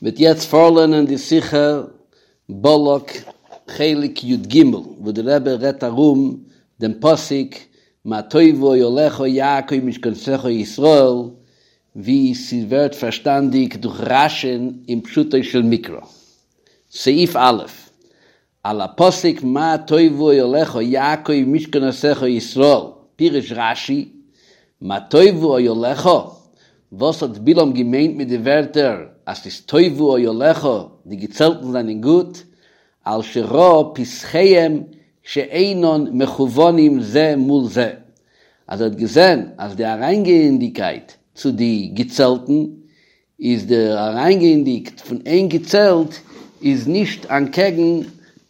מ'וועט יעצט פארלערנען די שיחה בלק חלק י ג, וואו די רבי רעדט ארום דעם פסוק מה טובו אוהליך יעקב משכנותיך ישראל, ווי ס'ווערט פארשטאנדיג דורך רש י אין פשוטו של מקרא. סעיף א', על הפסוק מה טובו אוהליך יעקב משכנותיך ישראל, פירש רש י, מה טובו אוהליך, וואס האט בלעם געמיינט מיט די ווערטער אז ס'איז טובו אוהליך, די געצעלטן זענען גוט, על שראה פתחיהם שאינן מכוונים זה מול זה, אז ער האט געזען אז די אריינגייענדיגקייט צו די געצעלטן איז די אריינגייענדיג פון איין געצעלט איז נישט אנטקעגן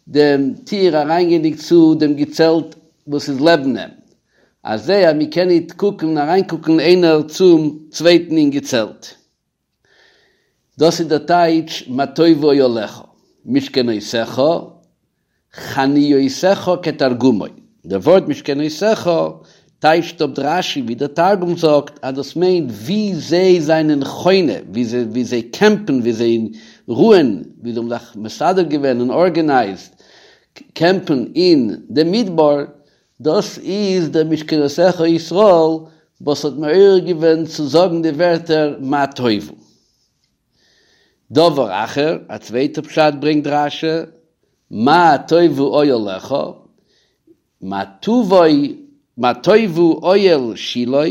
דעם טיר אריינגייענדיג צו דעם געצעלט וואס איז לעבן אים, אזוי אז מען קען ניט קוקן אריינקוקן איינער צום צווייטן אין געצעלט. דאס איז דער טייטש מה טובו אוהליך, משכנותיך, חניותיך כתרגומו, דער ווארט משכנותיך טייטשט אפ רש י ווי דער תרגום זאגט אז דאס מיינט ווי זיי זענען חונה, ווי זיי קעמפן, ווי זיי רוען, ווי זיי האבן זיך מסדר געווען און ארגענייזד קעמפן אין דעם מדבר, דאס איז דער משכנותיך ישראל וואס האט מעורר געווען צו זאגן די ווערטער מה טובו. דבר אחר, א צווייטע פשט ברענגט רש י, מה טובו אוהליך, מה טובו מה טובו אוהל שילה,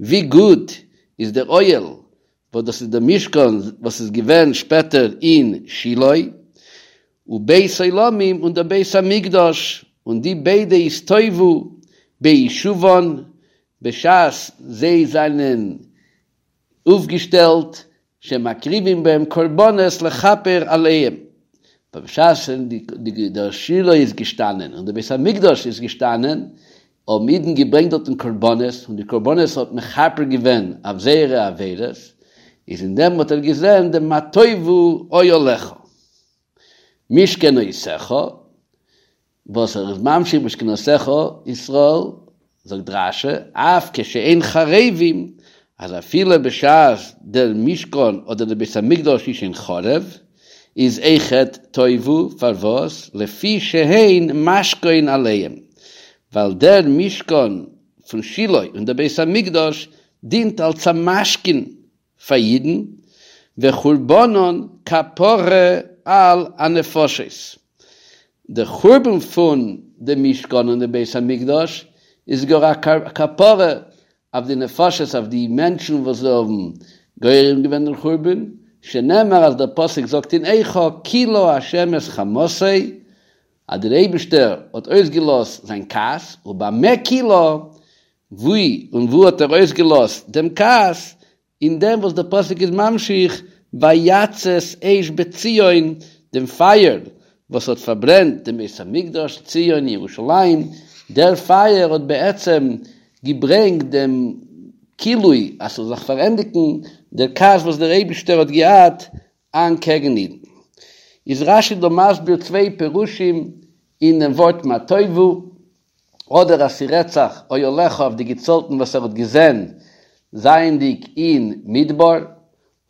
ווי גוט איז דער אוהל, וואס דאס איז דער משכן וואס איז געווען שפעטער אין שילה, ובית עולמים און דער בית המקדש, און די ביידע איז טובו בישובן, בשעת זיי זענען אויפגעשטעלט שמקריבים בהם קרבנות לכפר עליהם, בשעת דער שילה איז געשטאנען און דער בית המקדש איז געשטאנען, האבן אידן געברענגט דארטן קרבנות, און די קרבנות האט מכפר געווען אויף זייערע עבירות, איז אין דעם האט ער געזען דעם מה טובו אוהליך משכנותיך, וואס ער איז ממשיך משכנותיך ישראל, זאגט רש י, אף כשאין חרבים, אז אפילו בשעת דער משכן אדער דער בית המקדש איז שוין חרב, איז אויכעט טובו, פארוואס? לפי שהן משכון עליהם, ווייל דער משכן פון שילה און דער בית המקדש דינט אלס א משכון פאר אידן, וחורבנן כפרה על הנפשות, די חורבן פון די משכן און די בית המקדש איז גאר א כפרה אויף די נפשות, אויף די מענטשן וואס זיי האבן גורם געווען דעם חורבן, שנאמר אז דער פסוק זאגט אין איכה כילה ה' את חמתו, אז דער אייבישטער האט אויסגעלאזט זיין כעס, ובמה כילה, וואו און וואו האט ער אויסגעלאזט דעם כעס? אין דעם וואס דער פסוק איז ממשיך ויצת אש בציון, דעם פייער וואס האט פארברענט דעם בית המקדש, ציון, ירושלים, דער פייער האט בעצם געברענגט דעם כילוי אז ס'זאל זיך פארענדיגן דער כעס וואס דער אייבישטער האט געהאט אנטקעגן אידן. איז רש י דא מסביר צוויי פירושים אין דעם ווארט מה טובו, אדער אז ס'רעדט זיך אוהליך אויף די געצעלטן וואס ער האט געזען זייענדיג אין מדבר,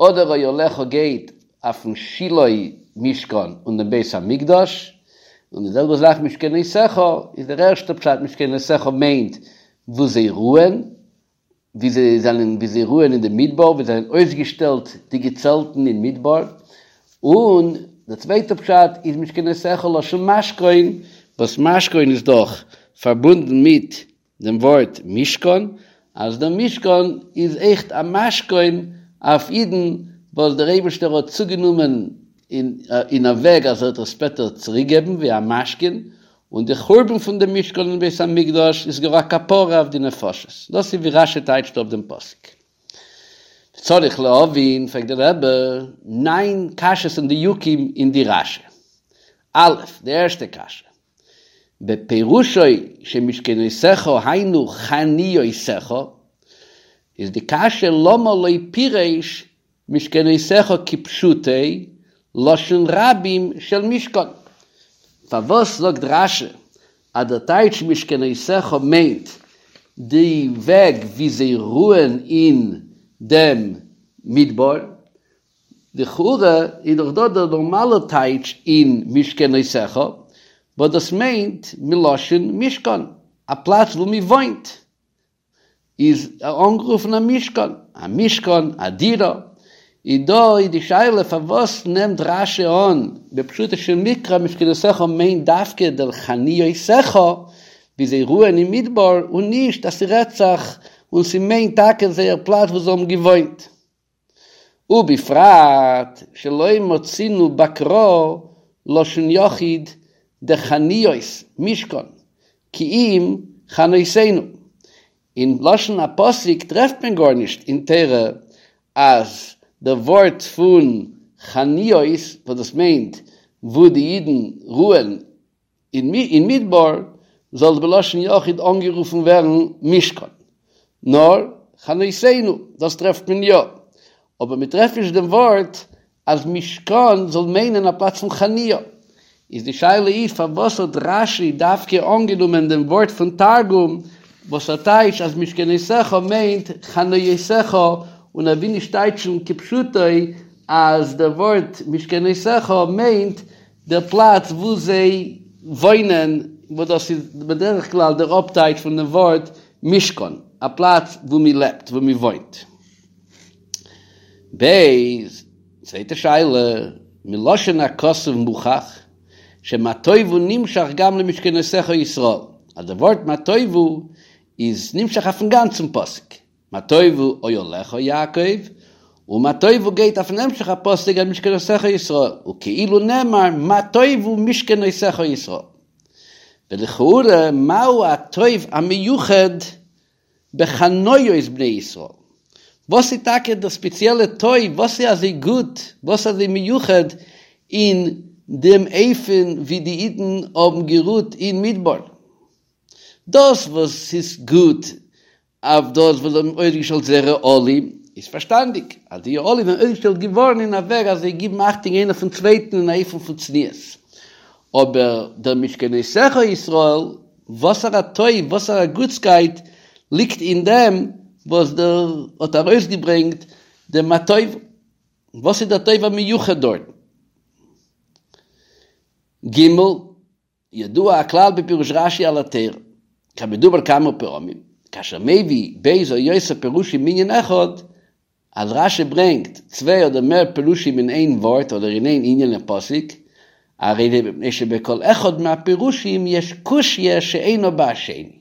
אדער אוהליך גייט אויפן שילה משכן און דעם בית המקדש, און די זעלבע זאך משכנותיך איז דער ערשטער פשט משכנותיך מיינט וואו זיי רוען, ווי זיי זענען ווי זיי רוען אין די מדבר, ווי זיי זענען אויסגעשטעלט די געצעלטן אין מדבר, און די צווייטע פשט איז משכנותיך לשון משכון, וואס משכון איז דאך פארבונדן מיט דעם ווארט משכן, אז דער משכן איז אויכעט א משכון אויף אידן וואס דער אייבערשטער האט צוגענומען אין א וועג אז ער וועט עס שפעטער צוריקגעבן ווי א משכון, און די חורבן פון דעם משכן און בית המקדש איז גאר א כפרה אויף די נפשות. דאס איז ווי רשי טייטשט אפ דעם פסוק. צריך להבין, פרעגט דער רבי ניין קשיות און דיוקים אין די רשי. א', די ערשטע קשיא, בפירושו שמשכנותיך היינו חניותיך, איז די קשיא למה לא פירש משכנותיך כפשוטו, לשון רבים של משכן. פארוואס זאגט רשי אז דער טייטש משכנותיך מיינט די וועג ווי זיי רוען אין דעם מדבר? לכאורה איז דאך דא דער נארמאלער טייטש אין משכנותיך, וואס דאס מיינט מלשון משכן, א פלאץ וואו מען וואוינט איז אנגערופן א משכן, א משכן, א דירה, איז דא איז די שאלה פארוואס נעמט רשי אן בפשוטו של מקרא משכנותיך מיינט דווקא דער חניותיך ווי זיי רוען אין מדבר און נישט אז ס'רעדט זיך און ס'מיינט טאקע זייער פלאץ וואו זיי האבן געוואוינט. ובפרט שלא מצינו בקרא לשון יחיד דחניות משכן כי אם חנותינו, אין לשון הפסוק טרעפט מען גארנישט אין תורה אז די ווארט פון חניות וואס דאס מיינט וואו די אידן רוען אין מדבר זאל בלשון יחיד אנגערופן ווערן משכן, נאר חנותינו, דאס טרעפט מען יא, אבער מען טרעפט נישט דעם ווארט אז משכן זאל מיינען א פלאץ פון חניה, איז די שאלה איז פארוואס האט רשי דווקא אנגענומען דעם ווארט פון תרגום וואס ער טייטשט אז משכנותיך מיינט חניותיך און ער וויל נישט טייטשן כפשוטו אז דער ווארט משכנותיך מיינט דער פלאץ וואו זיי וואוינען, וואס דאס איז בדרך כלל דער אפטייטש פון דעם ווארט משכן, א פלאץ וואו מען לעבט, וואו מען וואוינט. ב. צווייטע שאלה, מלשון הכתוב מוכח שמה טובו נמשך גם למשכנותיך ישראל, אז דער ווארט מה טובו איז נמשך אויפן גאנצן פסוק, מה טובו אוהליך יעקב, און מה טובו גייט אויפן המשך הפסוק על משכנותיך ישראל, וכאילו נאמר מה טובו משכנותיך ישראל. ולכאורה מהו הטוב המיוחד בחניות בני ישראל? וואס איז טאקע דער ספעציעלע טוב, וואס איז אזוי גוט, וואס איז אזוי מיוחד אין דעם אופן ווי די אידן האבן גערוהט אין מדבר? דאס וואס ס'איז גוט אויף דאס וואס זיי האבן אויסגעשטעלט זייערע אהלים, איז פארשטאנדיג אז די אהלים זענען אויסגעשטעלט געווארן אין א וועג אז זיי גיבן אכטונג איינער פון צווייטן אין א אופן פון צניעות. אבער דער משכנותיך ישראל, וואסערע טוב, וואסערע גוטסקייט ליגט אין דעם וואס דער האט ארויסגעברענגט דעם מה טובו? וואס איז דער טוב המיוחד דארטן? ג. ידוע הכלל בפירוש רשי על התורה, כמדובר כמה פעמים, כאשר מביא ב' או יותר פירושים מענין אחד, אז רשי ברענגט צוויי אדער מער פירושים אין איין ווארט אדער אין איין ענין אין פסוק, הרי זה מפני שבכל אחד מהפירושים יש קושיא שאינה בהשני.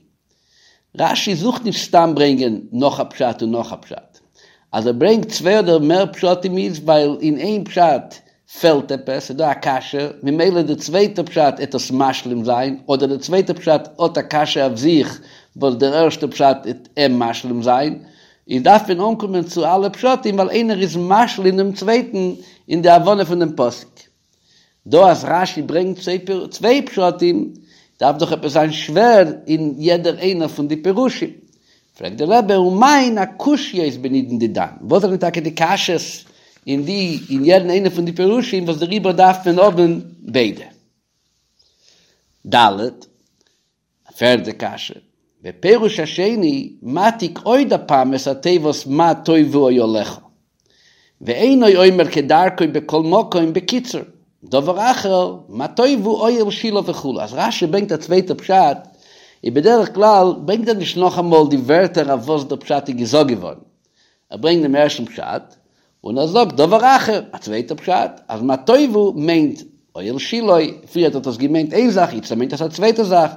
רשי זוכט נישט סתם ברענגען נאך א פשט און נאך א פשט. אז ער ברענגט צוויי אדער מער פשטים איז ווייל אין איין פשט פעלט עפעס, ס'איז דא א קשיא, ממילא די צווייטע פשט עט עס משלים זיין, אדער די צווייטע פשט האט א קשיא אויף זיך וואס דער ערשטע פשט עט אים משלים זיין, איז דארף מען אנקומען צו אלע פשטים ווייל איינער איז משלים דעם צווייטן אין די הבנה פון דעם פסוק. דא אז רשי ברענגט צוויי פשטים, דארף דאך עפעס זיין שווער אין יעדער איינער פון די פירושים. פרעגט דער רבי, ומהן הקושיות בנידון דידן, וואס זענען טאקע די קשיות אין די אין יעדן איינער פון די פירושים וואס דעריבער דארף מען האבן ביידע? ד. א פערדע קשיא, בפירוש השני מעתיק עוד הפעם את התיבות מה טובו אוהליך, ואינו אומר כדרכו בכל מקום בקיצור, דבר אחר, מה טובו אוהל שילה וכו', אז רשי ברענגט א צווייטע פשט, איז בדרך כלל ברענגט ער נישט נאכאמאל די ווערטער אויף וואס דער פשט איז געזאגט געווארן, ער ברענגט דעם ערשטן פשט, און ער זאגט דבר אחר, א צווייטע פשט, אז מה טובו מיינט אוהל שילה, פריערט האט עס געמיינט איין זאך, איצטער מיינט עס א צווייטע זאך,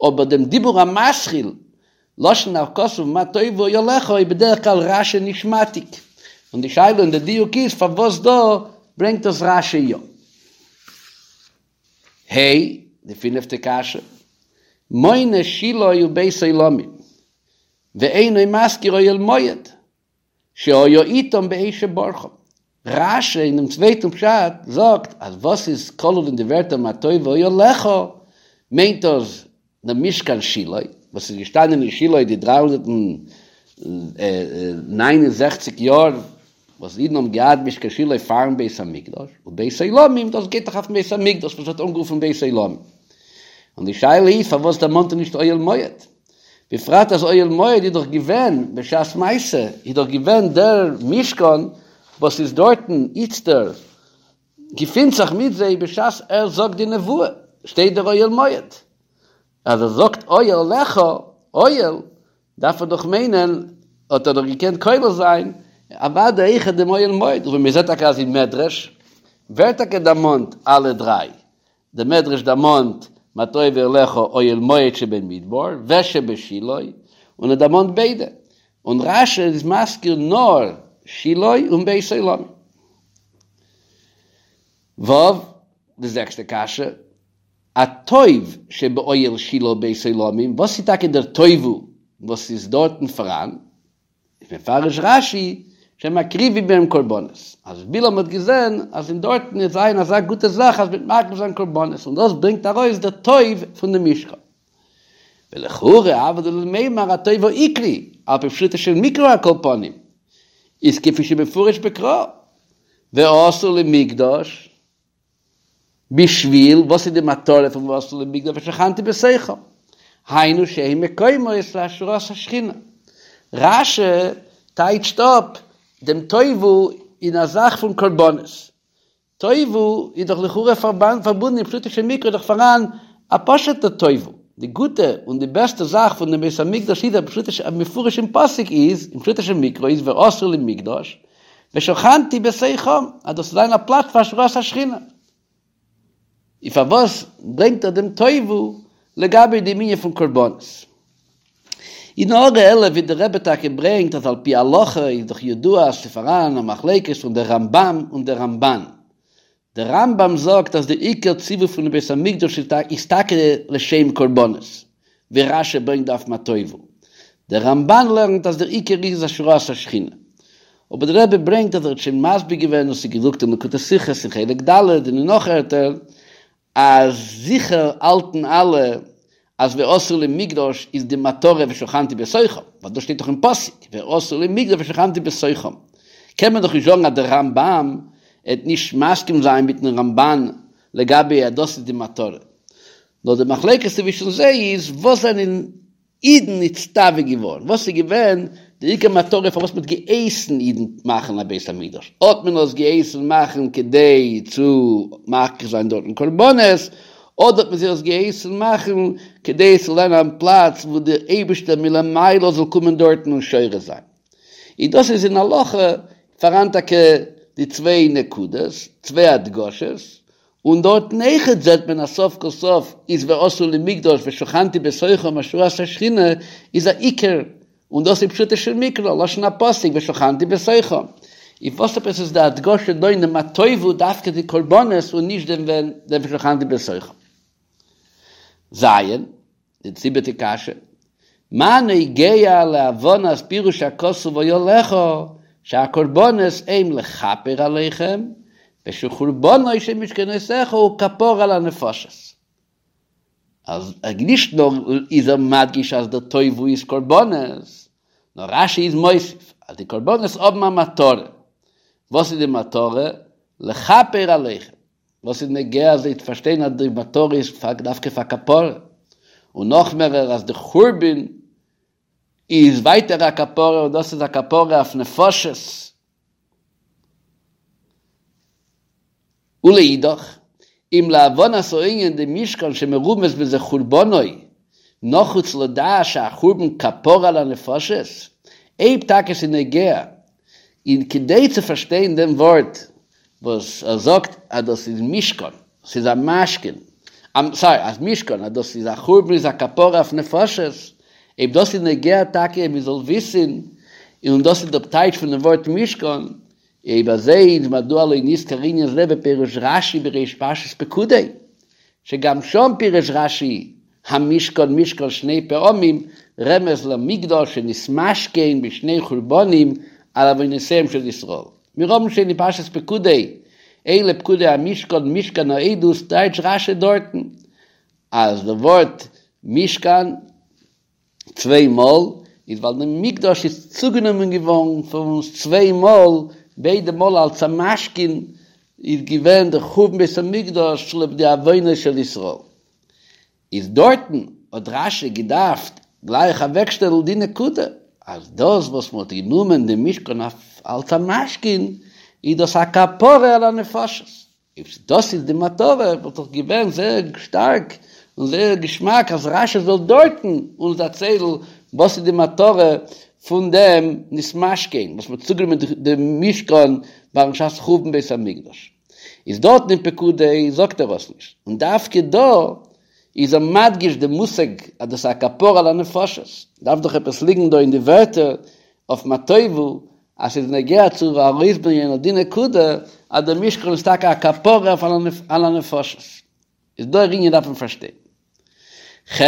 אבער דעם דיבור המתחיל, לשון הכתוב מה טובו אוהליך איז בדרך כלל רשי נישט מעתיק, און די שאלה און די דיוק איז פארוואס דא ברענגט עס רשי יא. ה. די פינפטע קשיא, מונה שילה ובית עולמים, ואינו מזכיר אוהל מועד, שהיה איתם בעת שברחם. רשי אינעם צווייטן פשט זאגט אז וואס איז כלול אין די ווערטער מה טובו אוהליך מיינט דאס דער משכן שילה וואס איז געשטאנען אין שילה די 369 יאר וואס אידן האבן געהאט משכן שילה פארן בית המקדש, ובית עולמים דאס גייט דאך אויפן בית המקדש וואס ווערט אנגערופן בית עולמים. און די שאלה איז פארוואס דערמאנט ער נישט אוהל מועד? בפרט אז אוהל מועד איז דאך געווען בשעת מעשה, איז דאך געווען דער משכן. וואס איז דארטן איצטער געפינט זיך מיט זיי בשעת ער זאגט די נבואה, שטייט דער אוהל מועד, אז ער זאגט אהלך, אוהל, דארף ער דאך מיינען, האט ער דאך געקענט כולל זיין, אוודאי אויכעט דעם אוהל מועד, און מען זעט טאקע אז אין מדרש ווערט טאקע דערמאנט אלע דריי, דער מדרש דערמאנט מה טובו אהליך אוהל מועד שבמדבר ושבשילה, און ער דערמאנט ביידע, און רש"י איז מזכיר נאר שילה און בית עולמים. ו', די זעקסטע קשיא, הטוב שבאוהל שילה ובית עולמים, וואס איז טאקע דער טובו וואס איז דארטן פאראן? איז מפרש רש"י שמקריבים בהם קרבנות, אז בלעם האט געזען אז אין דארטן וועט זיין אזא גוטע זאך אז מ'וועט מקריב זיין קרבנות, און דאס ברענגט ארויס דער טוב פון דעם משכן. ולכאורה הוה ליה למימר הטוב העיקרי, על פי פשוטו של מקרא על כל פנים, איז כפי שמפורש בקרא, ועשו לי מקדש, בשביל, וואס איז די מטרה פון ועשו לי מקדש ושכנתי בתוכם? היינו שהם מקומות להשראת השכינה. רש"י טייטשט אפ דעם טובו אין א זאך פון קרבנות. טובו איז דאך לכאורה פארבונדן אין פשוטו של מקרא איז דאך פאראן א פשוט'ע טובו. די גוטע און די בעסטע זאך פון דעם בית המקדש איז פשוטו של מפורש אין פסוק איז, אין פשוטו של מקרא איז ועשו לי מקדש, ושכנתי בתוכם, אז דאס זאל זיין א פלאץ פאר השראת השכינה. און פארוואס ברענגט ער דעם טובו לגבי דעם ענין פון קרבנות? אין הערה 11 ווי דער רבי טאקע ברענגט אז על פי הלכה איז דאך ידוע אז ס'פאראן א מחלוקת פון דער רמב"ם און דער רמב"ן. דער רמב"ם זאגט אז די עיקר ציווי פונעם בית המקדש איז טאקע לשם קרבנות, ווי רש"י ברענגט אויף מה טובו. דער רמב"ן לערנט אז דער עיקר איז השראת השכינה. אבער דער רבי ברענגט אז ער האט שוין מסביר געווען און ס'איז געדרוקט אין לקוטי שיחות אין חלק ד' און אין נאך ערטער אז זיכער האלטן אלע אז ועשו לי מקדש איז די מטרה ושכנתי בתוכם, ווייל דאס שטייט דאך אין פסוק ועשו לי מקדש ושכנתי בתוכם, קען מען דאך נישט זאגן אז דער רמב"ם העט נישט מסכים זיין מיטן רמב"ן לגבי אז דאס איז די מטרה, נאר די מחלוקת צווישן זיי איז וואס זענען אידן נצטווה געווארן, וואס איז געווען די עיקר מטרה פארוואס מען האט געהייסן אידן מאכן א בית המקדש, האט מען עס געהייסן מאכן כדי צו מקריב זיין דארטן קרבנות, אדער האט מען זיי עס געהייסן מאכן כדי עס זאל זיין א פלאץ וואו דער אייבערשטער מלמעלה זאל קומען דארטן און שורה זיין. און דאס איז אין הלכה פאראן טאקע די צוויי נקודות, צוויי הדגשות, און דארטן אויכעט זעט מען אז סוף כל סוף איז ועשו לי מקדש ושכנתי בתוכם השראת השכינה איז א עיקר, און דאס איז פשוטו של מקרא, לשון הפסוק ושכנתי בתוכם. און וואס עפעס איז די הדגשה דא אין דעם מה טובו דווקא די קרבנות און נישט דעם ושכנתי בתוכם? ז'. די זיבעטע קשיא, מה נוגע להבנת פירוש הכתוב אהלך שהקרבנות הם לכפר עליכם ושחורבנו של משכנותיך הוא כפרה על הנפשות. אז נישט נאר איז ער מדגיש אז דער טובו איז קרבנות, נאר רש"י איז מוסיף אז די קרבנות האבן א מטרה. וואס איז די מטרה? לכפר עליכם. וואס איז נוגע זיי צו פארשטיין אז די מטרה איז דווקא פאר כפרה, און נאך מערער אז די חורבן איז ווייטער א כפרה און דאס איז א כפרה אויף נפשות. ולאידך, אם להבנת הענין דמשכן שמרומז בזה חורבנו, נחוץ לדעת שהחורבן כפרה על הנפשות, אויב טאקע ס'איז נוגע און כדי צו פארשטיין דעם ווארט וואס ער זאגט אז דאס איז משכן, ס'איז א משכן, סארי, אז משכן, אז דאס איז א חורבן איז א כפרה אויף נפשות, אויב דאס איז נוגע טאקע מען זאל וויסן, און דאס איז דער טייטש פון דעם ווארט משכן, אויב אזוי איז מדוע לא נזכר ענין זה בפירוש רש"י בריש פרשת פקודי, שגם שם פירש רש"י המשכן משכן שני פעמים, רמז למקדש שנתמשכן בשני חורבנים על עוונותיהם של ישראל. מיר האבן שוין אין פרשת פקודי, אלה פקודי המשכן משכן העדות טייטש רש"י דארטן אז די ווארט משכן צוויי מאל איז ווייל די מקדש איז צוגענומען געווארן פון אונז צוויי מאל, ביידע מאל אלס א משכון איז געווען די חורבן בית המקדש צוליב די עוונות של ישראל. איז דארטן האט רש"י געדארפט גלייך אוועקשטעלן די נקודה אז דאס וואס מען האט גענומען די משכן אלס א משכון. איז דאס א כפרה על הנפשות. אויב דאס איז די מטרה וואלט דאך געווען זייער שטארק און זייער געשמאק אז רשי זאל דארטן אונז דערציילן וואס איז די מטרה פון דעם נתמשכן וואס מ'האט צוגענומען די משכן ביים שעת חורבן בית המקדש. איז דארטן אין פקודי זאגט ער עס נישט, און דווקא דא איז ער מדגיש די מושג אז דאס איז א כפרה על הנפשות, דארף דאך עפעס ליגן דא אין די ווערטער אויף מה טובו אז ס'איז נוגע צו ארויסברענגען אט די נקודה אז דער משכן איז טאקע א כפרה אויף על הנפשות. איז דער ענין דארף מען פארשטיין. ח.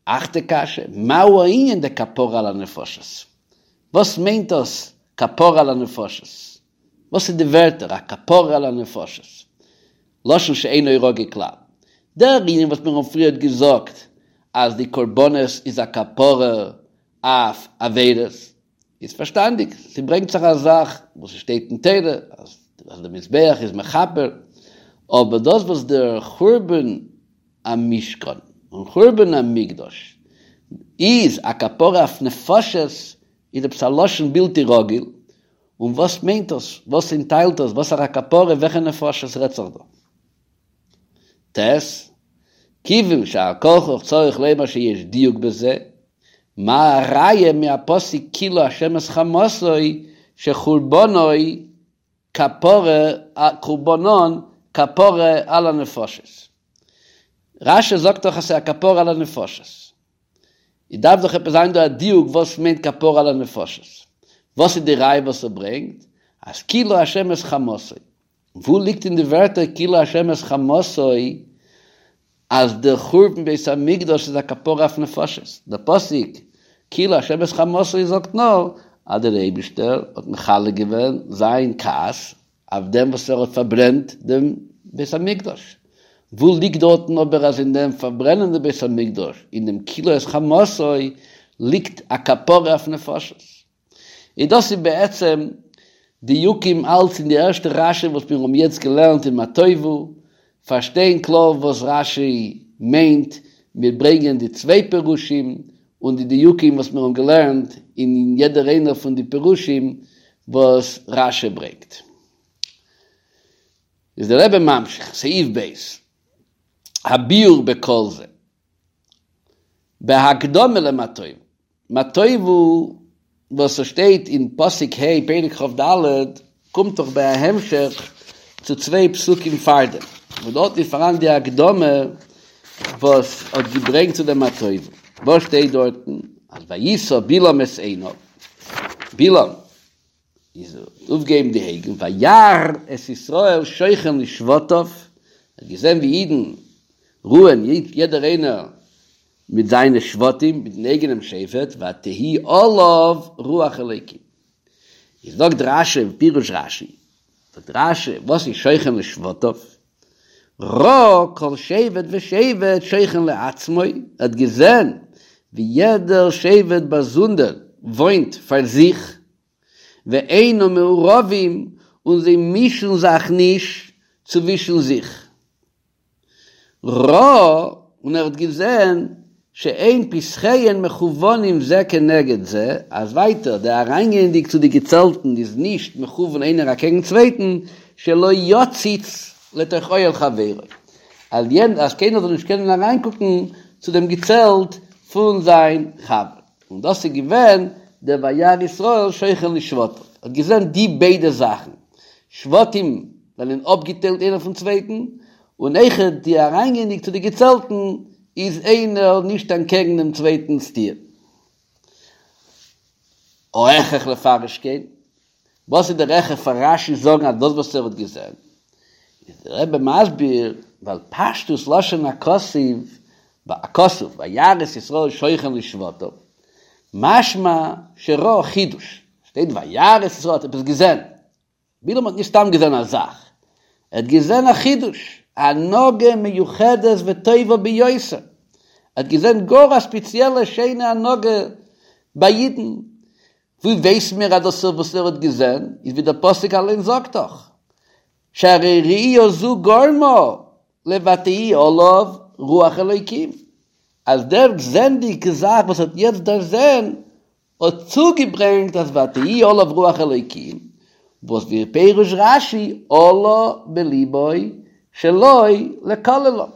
אכטע קשיא, מהו הענין דכפרה על הנפשות? וואס מיינט דאס כפרה על הנפשות? וואס איז די ווערטער א כפרה על הנפשות? לשון שאינו רגיל כלל. דער ענין וואס מיר האבן פריערט געזאגט אז די קרבנות איז א כפרה אויף עבירות, איז פארשטאנדיג, ס'ברענגט זיך א זאך וואס ס'שטייט אין תורה אז דער מזבח איז מכפר, אבער דאס וואס דער חורבן המשכן און חורבן המקדש איז א כפרה אויף נפשות איז עפעס א לשון בלתי רגיל, און וואס מיינט דאס? וואס ענטיילט דאס? וואסערע כפרה? וועלכע נפשות רעדט זיך דא? ט. כיוון שעל כרחך צריך לומר שיש דיוק בזה, מה הראיה מהפסוק כילה השם את חמתו שחורבנו כפרה חורבנן כפרה על הנפשות. רשי זאגט דאך אז ס'איז א כפרה על הנפשות. איז דארף דאך עפעס זיין דא א דיוק וואס מיינט כפרה על הנפשות. וואס איז די ראיה וואס ער ברענגט אז כילה השם את חמתו. וואו ליגט אין די ווערטער כילה השם את חמתו אז דער חורבן בית המקדש איז א כפרה אויף נפשות? דער פסוק כילה השם את חמתו זאגט נאר אז דער אייבישטער האט מכלה געווען זיין כעס אויף דעם וואס ער האט פארברענט דעם בית המקדש. וואו ליגט דארטן אבער אז אין דעם פארברענען דעם בית המקדש, אין דעם כילה את חמתו, ליגט א כפרה אויף נפשות? און דאס איז בעצם דיוקים אלץ אין די ערשטע רשי וואס מיר האבן יעצט געלערנט אין מה טובו, פארשטיין קלאר וואס רשי מיינט מיט ברענגען די צוויי פירושים און די דיוקים וואס מיר האבן געלערנט אין יעדער איינער פון די פירושים וואס רשי ברענגט. איז דער רבי ממשיך, סעיף ב', הביאור בכל זה. בהקדמה למה טובו. מה טובו וואס עס שטייט אין פסוק ה' פרק כ"ד קומט דאך בהמשך צו צוויי פסוקים פארדעם, וואס דארט איז פאראן די הקדמה וואס האט געברענגט צו דעם מה טובו. וואס שטייט דארטן? אז וישא בלעם את עיניו, בלעם איז אויפגעהויבן די אויגן, וירא את ישראל שוכן לשבטיו, ער האט געזען ווי אידן רוען יעדער איינער מיט זיינע שבטים, מיטן אייגענעם שבט, ותהי עליו רוח אלוקים. איז זאגט רשי, פירוש רשי, זאגט רשי, וואס איז שוכן לשבטיו? ראה כל שבט ושבט שוכן לעצמו, ער האט געזען ווי יעדער שבט באזונדער וואוינט פאר זיך, ואינם מעורבים, און זיי מישן זיך נישט צווישן זיך. ראה, און ער האט געזען, שאין פתחיהן מכוונים זה כנגד זה, אז ווייטער, די אריינגייענדיג צו די געצעלטן איז נישט מכוון איינער אקעגן צווייטן, שלא יציץ לתוך אוהל חברו, אז אז קיינער זאל נישט קענען אריינקוקן צו דעם געצעלט פון זיין חבר. און דאס איז געווען דער וירא ישראל שוכן לשבטיו, האט געזען די ביידע זאכן, שבטים זענען אפגעטיילט איינער פון צווייטן, און אויכעט די אריינגייענדיג צו די געצעלטן איז איינער נישט אנטקעגן דעם צווייטנס טיר. ההכרח לפרש כן, וואס איז דער הכרח פאר רשי זאגן אז דאס וואס ער האט געזען? איז דער רבי מסביר, ווייל פשטות לשון הכתוב, הכתוב וירא את ישראל שוכן לשבטיו, משמע שראה חידוש, שטייט וירא את ישראל האט עפעס געזען, בלעם האט נישט סתם געזען א זאך, ער האט געזען א חידוש, א הנהגה מיוחדת וטובה ביותר, ער האט געזען גאר א ספעציעלע שיינע הנהגה ביי אידן, ווי ווייסן מיר אז דאס וואס ער האט געזען איז ווי דער פסוק אליין זאגט דאך, שהרי ראייה זו גרמה לותהי עליו רוח אלוקים, אז דער זעענדיגע זאך וואס ער האט יעצט דערזען האט צוגעברענגט אז ותהי עליו רוח אלוקים. וואס ווי פירוש רשי עלה בליבו שלא לקללם,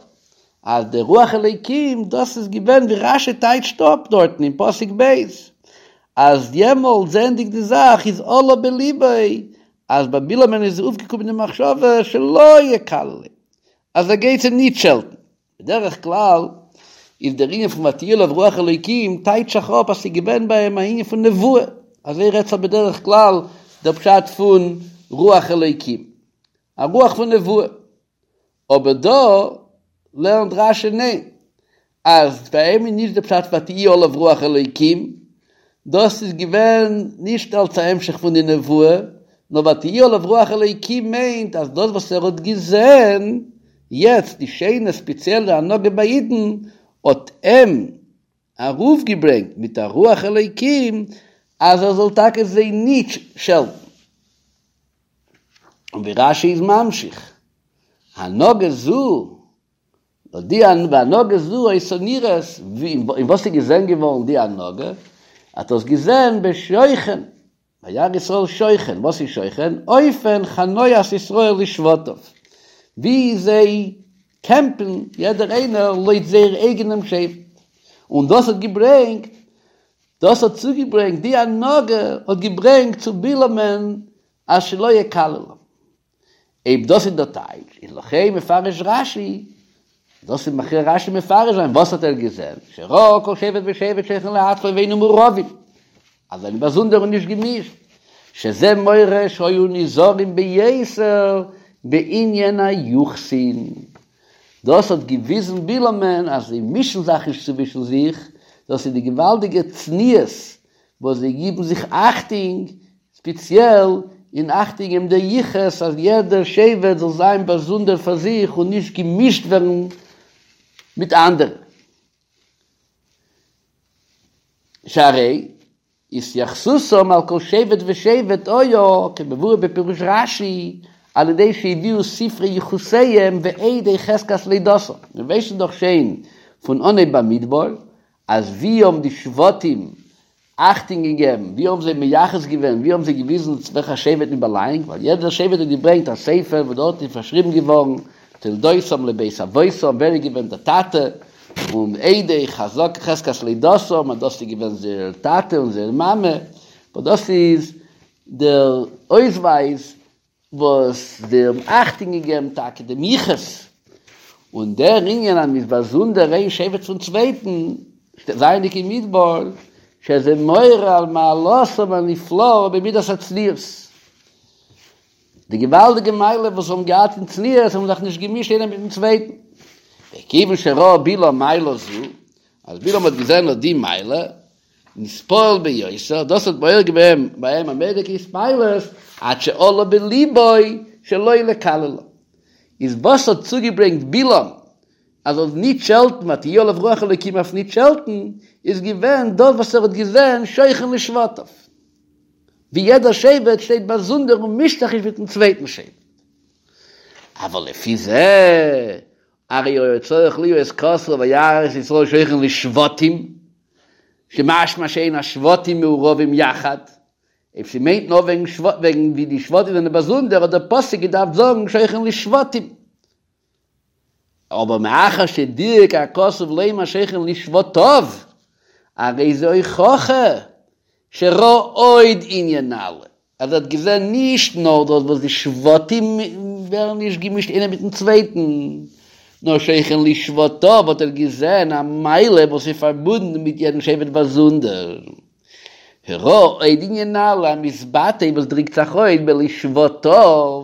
אז דער רוח אלוקים דאס איז געווען ווי רשי טייטשט אפ דארטן אין פסוק ב', אז יעמאלט זעענדיג די זאך איז עלה בליבו אז ביי בלעמ'ן איז אויפגעקומען די מחשבה שלא יקללם, אז ער גייט זיי נישט שעלטן. בדרך כלל איז דער ענין פון ותהי עליו רוח אלוקים טייטשט זיך אפ אז ס'איז געווען ביי אים א ענין פון נבואה, אזוי רעדט זיך בדרך כלל דער פשט פון רוח אלוקים, א רוח פון נבואה, אבער דא לערנט רשי ניין, אז ביי אים איז נישט דער פשט ותהי עליו רוח אלוקים, דאס איז געווען נישט אלס א המשך פון די נבואה, נאר ותהי עליו רוח אלוקים מיינט אז דאס וואס ער האט געזען יעצט די שיינע ספעציעלע הנהגה ביי אידן האט אים ארויפגעברענגט מיט א רוח אלוקים אז ער זאל טאקע זיי נישט שעלטן. און ווי רשי איז ממשיך, הנהגה זו די והנהגה זו היתה נראית, אין וואס איז געזען געווארן די הנהגה? האט דאס געזען בשוכן, וירא ישראל שוכן, וואס איז שוכן? אופן חניית ישראל לשבטיו, ווי זיי קעמפן יעדער איינער לויט זייער אייגענעם שבט, און דאס האט געברענגט, דאס האט צוגעברענגט, די הנהגה האט געברענגט צו בלעמ'ן אז שלא יקללם. אויב דאס איז דער טייטש, איז לכן מפרש רשי, דאס איז מכריח רשי מפרש זיין, וואס האט ער געזען? שראה כל שבט ושבט שוכן לעצמו ואינם מעורבים, אז זיי זענען באזונדער און נישט געמישט, שזה מורה שהיו נזהרים ביותר בענין היוחסין. דאס האט געוויזן בלעמ'ן אז זיי מישן זיך נישט צווישן זיך, דאס איז די געוואלדיגע צניעות וואס זיי גיבן זיך אכטונג, ספעציעל אין אכטונג געבן די יחוס אז יעדער שבט זאל זיין באזונדער פאר זיך און נישט געמישט ווערן מיט אנדערע. שהרי התייחסותם על כל שבט ושבט היה כמבואר בפירוש רש"י על ידי שהביאו ספרי יחוסיהם ועדי חזקת לידתם. מיר ווייסן דאך שוין פון אנהייב במדבר אז ווי האבן די שבטים אכטונג געגעבן, ווי האבן זיי מייחס געווען, ווי האבן זיי געוויזן צו וועלכע שבט מען באלאנגט, ווייל יעדער שבט האט געברענגט א ספר וואס דארט איז פארשריבן געווארן תולדותם לבית אבותם, ווער איז געווען דער טאטע, און עדי חזק חזקת לידתם, אז דאס איז געווען זייער טאטע און זייער מאמע, וואס דאס איז דער אויסווייז וואס זיי האבן אכטונג געגעבן טאקע דעם יחוס, און דער ענין אז מ'איז באזונדער איין שבט פון צווייטן, זייענדיג אין מדבר, שזה מורה על מעלתם הנפלאה במידת הצניעות. די געוואלדיגע מעלה וואס זיי האבן געהאט אין צניעות, האבן זיך נישט געמישט איינער מיטן צווייטן. וכיוון שראה בלעם מעלה זו, אז בלעם האט געזען אט די מעלה, נתפעל ביותר, דאס האט מעורר געווען ביי אים א מורא'דיגע התפעלות, עד שעלה בליבו שלא לקללם. איז וואס האט צוגעברענגט בלעם אז ער זאל נישט שעלטן, ותהי עליו רוח אלוקים אויף נישט שעלטן, איז געווען דאס וואס ער האט געזען שוכן לשבטיו, ווי יעדער שבט שטייט באזונדער און מישט זיך נישט מיטן צווייטן שבט. אבל לפי זה הרי היה צריך להיות כתוב וירא את ישראל שוכן לשבטים, שמשמע שאין השבטים מעורבים יחד, אויב ס'מיינט נאר וועגן וועגן ווי די שבטים זענען באזונדער האט דער פסוק געדארפט זאגן שוכן לשבטים, אבער מאחר שדייק הכתוב לומר שוכן לשבטיו, הרי זה הוכחה שראה עוד ענין נעלה. אז ער האט געזען נישט נאר דאס וואס די שבטים ווערן נישט געמישט איינער מיטן צווייטן, נאר שוכן לשבטיו האט ער געזען א מעלה וואס איז פארבונדן מיט יעדן שבט באזונדער. שראה עוד ענין נעלה המתבטא וואס דריקט זיך אויס בלשבטיו,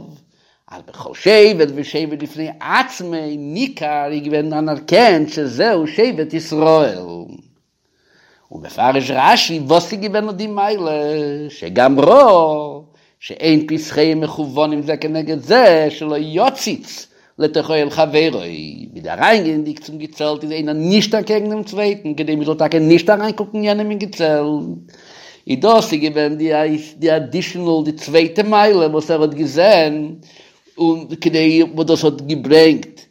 אז בכל שבט ושבט בפני עצמו ניכר איז געווען אנערקענט שזהו שבט ישראל. ומפרש רש"י וואס איז געווען אט די מעלה שגם ראה שאין פתחיהם מכוונים זה כנגד זה שלא יציץ לתוך אוהל חברו, ווידער אריינגייענדיג צום געצעלט איז איינער נישט אקעגן דעם צווייטן כדי מען זאל טאקע נישט אריינקוקן יענעם אין געצעלט, איז דאס איז געווען די אדישענעל די צווייטע מעלה וואס ער האט געזען און כדי וואס דאס האט געברענגט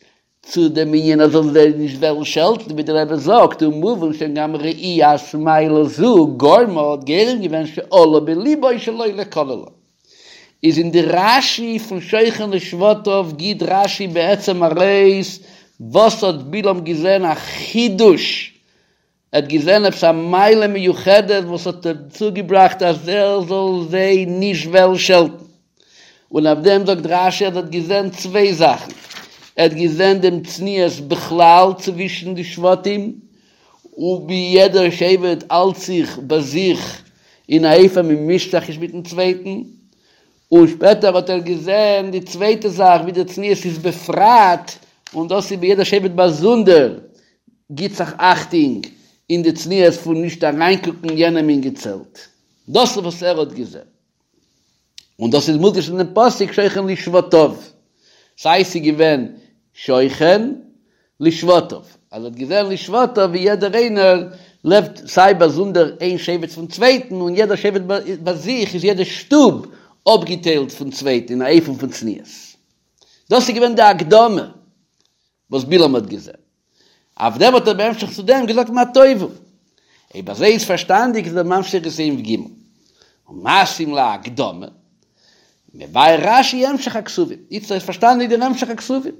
צו דעם ענין אז זאל זיי נישט וועלן שעלטן, ווי דער רבי זאגט, ומובן שגם ראיית מעלה זו גרמה האט גורם געווען שעלה בליבו שלא לקללם. איז אין די רשי פון שוכן לשבטיו גיט רשי בעצם ארויס וואס האט בלעם געזען א חידוש, ער האט געזען עפעס א מעלה מיוחדת וואס האט אים צוגעבראכט אז ער זאל זיי נישט וועלן שעלטן, און אויף דעם זאגט רשי אז ער האט געזען צוויי זאכן, ער האט געזען דעם צניעות בכלל צווישן די שבטים, און ווי יעדער שבט האלט זיך ביי זיך אין א אופן מען מישט זיך נישט מיטן צווייטן, און שפעטער האט ער געזען די צווייטע זאך ווי די צניעות איז בפרט, און דאס איז ווי יעדער שבט באזונדער גיט זיך אכטונג אין די צניעות פון נישט אריינקוקן יענעם אין געצעלט, דאס איז וואס ער האט געזען. און דאס איז מודגש אין דעם פסוק שוכן לשבטיו, סיי ס'איז געווען שוכן לשבטיו, אז ער האט געזען לשבטיו ווי יעדער איינער לעבט סיי באזונדער איין שבט פון צווייטן, און יעדער שבט ביי זיך איז יעדע שטוב אפגעטיילט פון צווייטן אין א אופן פון צניעות. דאס איז געווען די הקדמה. וואס בלעם האט געזען. אויף דעם האט ער בהמשך צו דעם געזאגט מה טובו. אויב אזוי איז פארשטאנדיג איז ער ממשיך אין סעיף ג' ומתאים להקדמה, מבאר רש"י המשך הכתובים. איצטער איז פארשטאנדיג דער המשך הכתובים.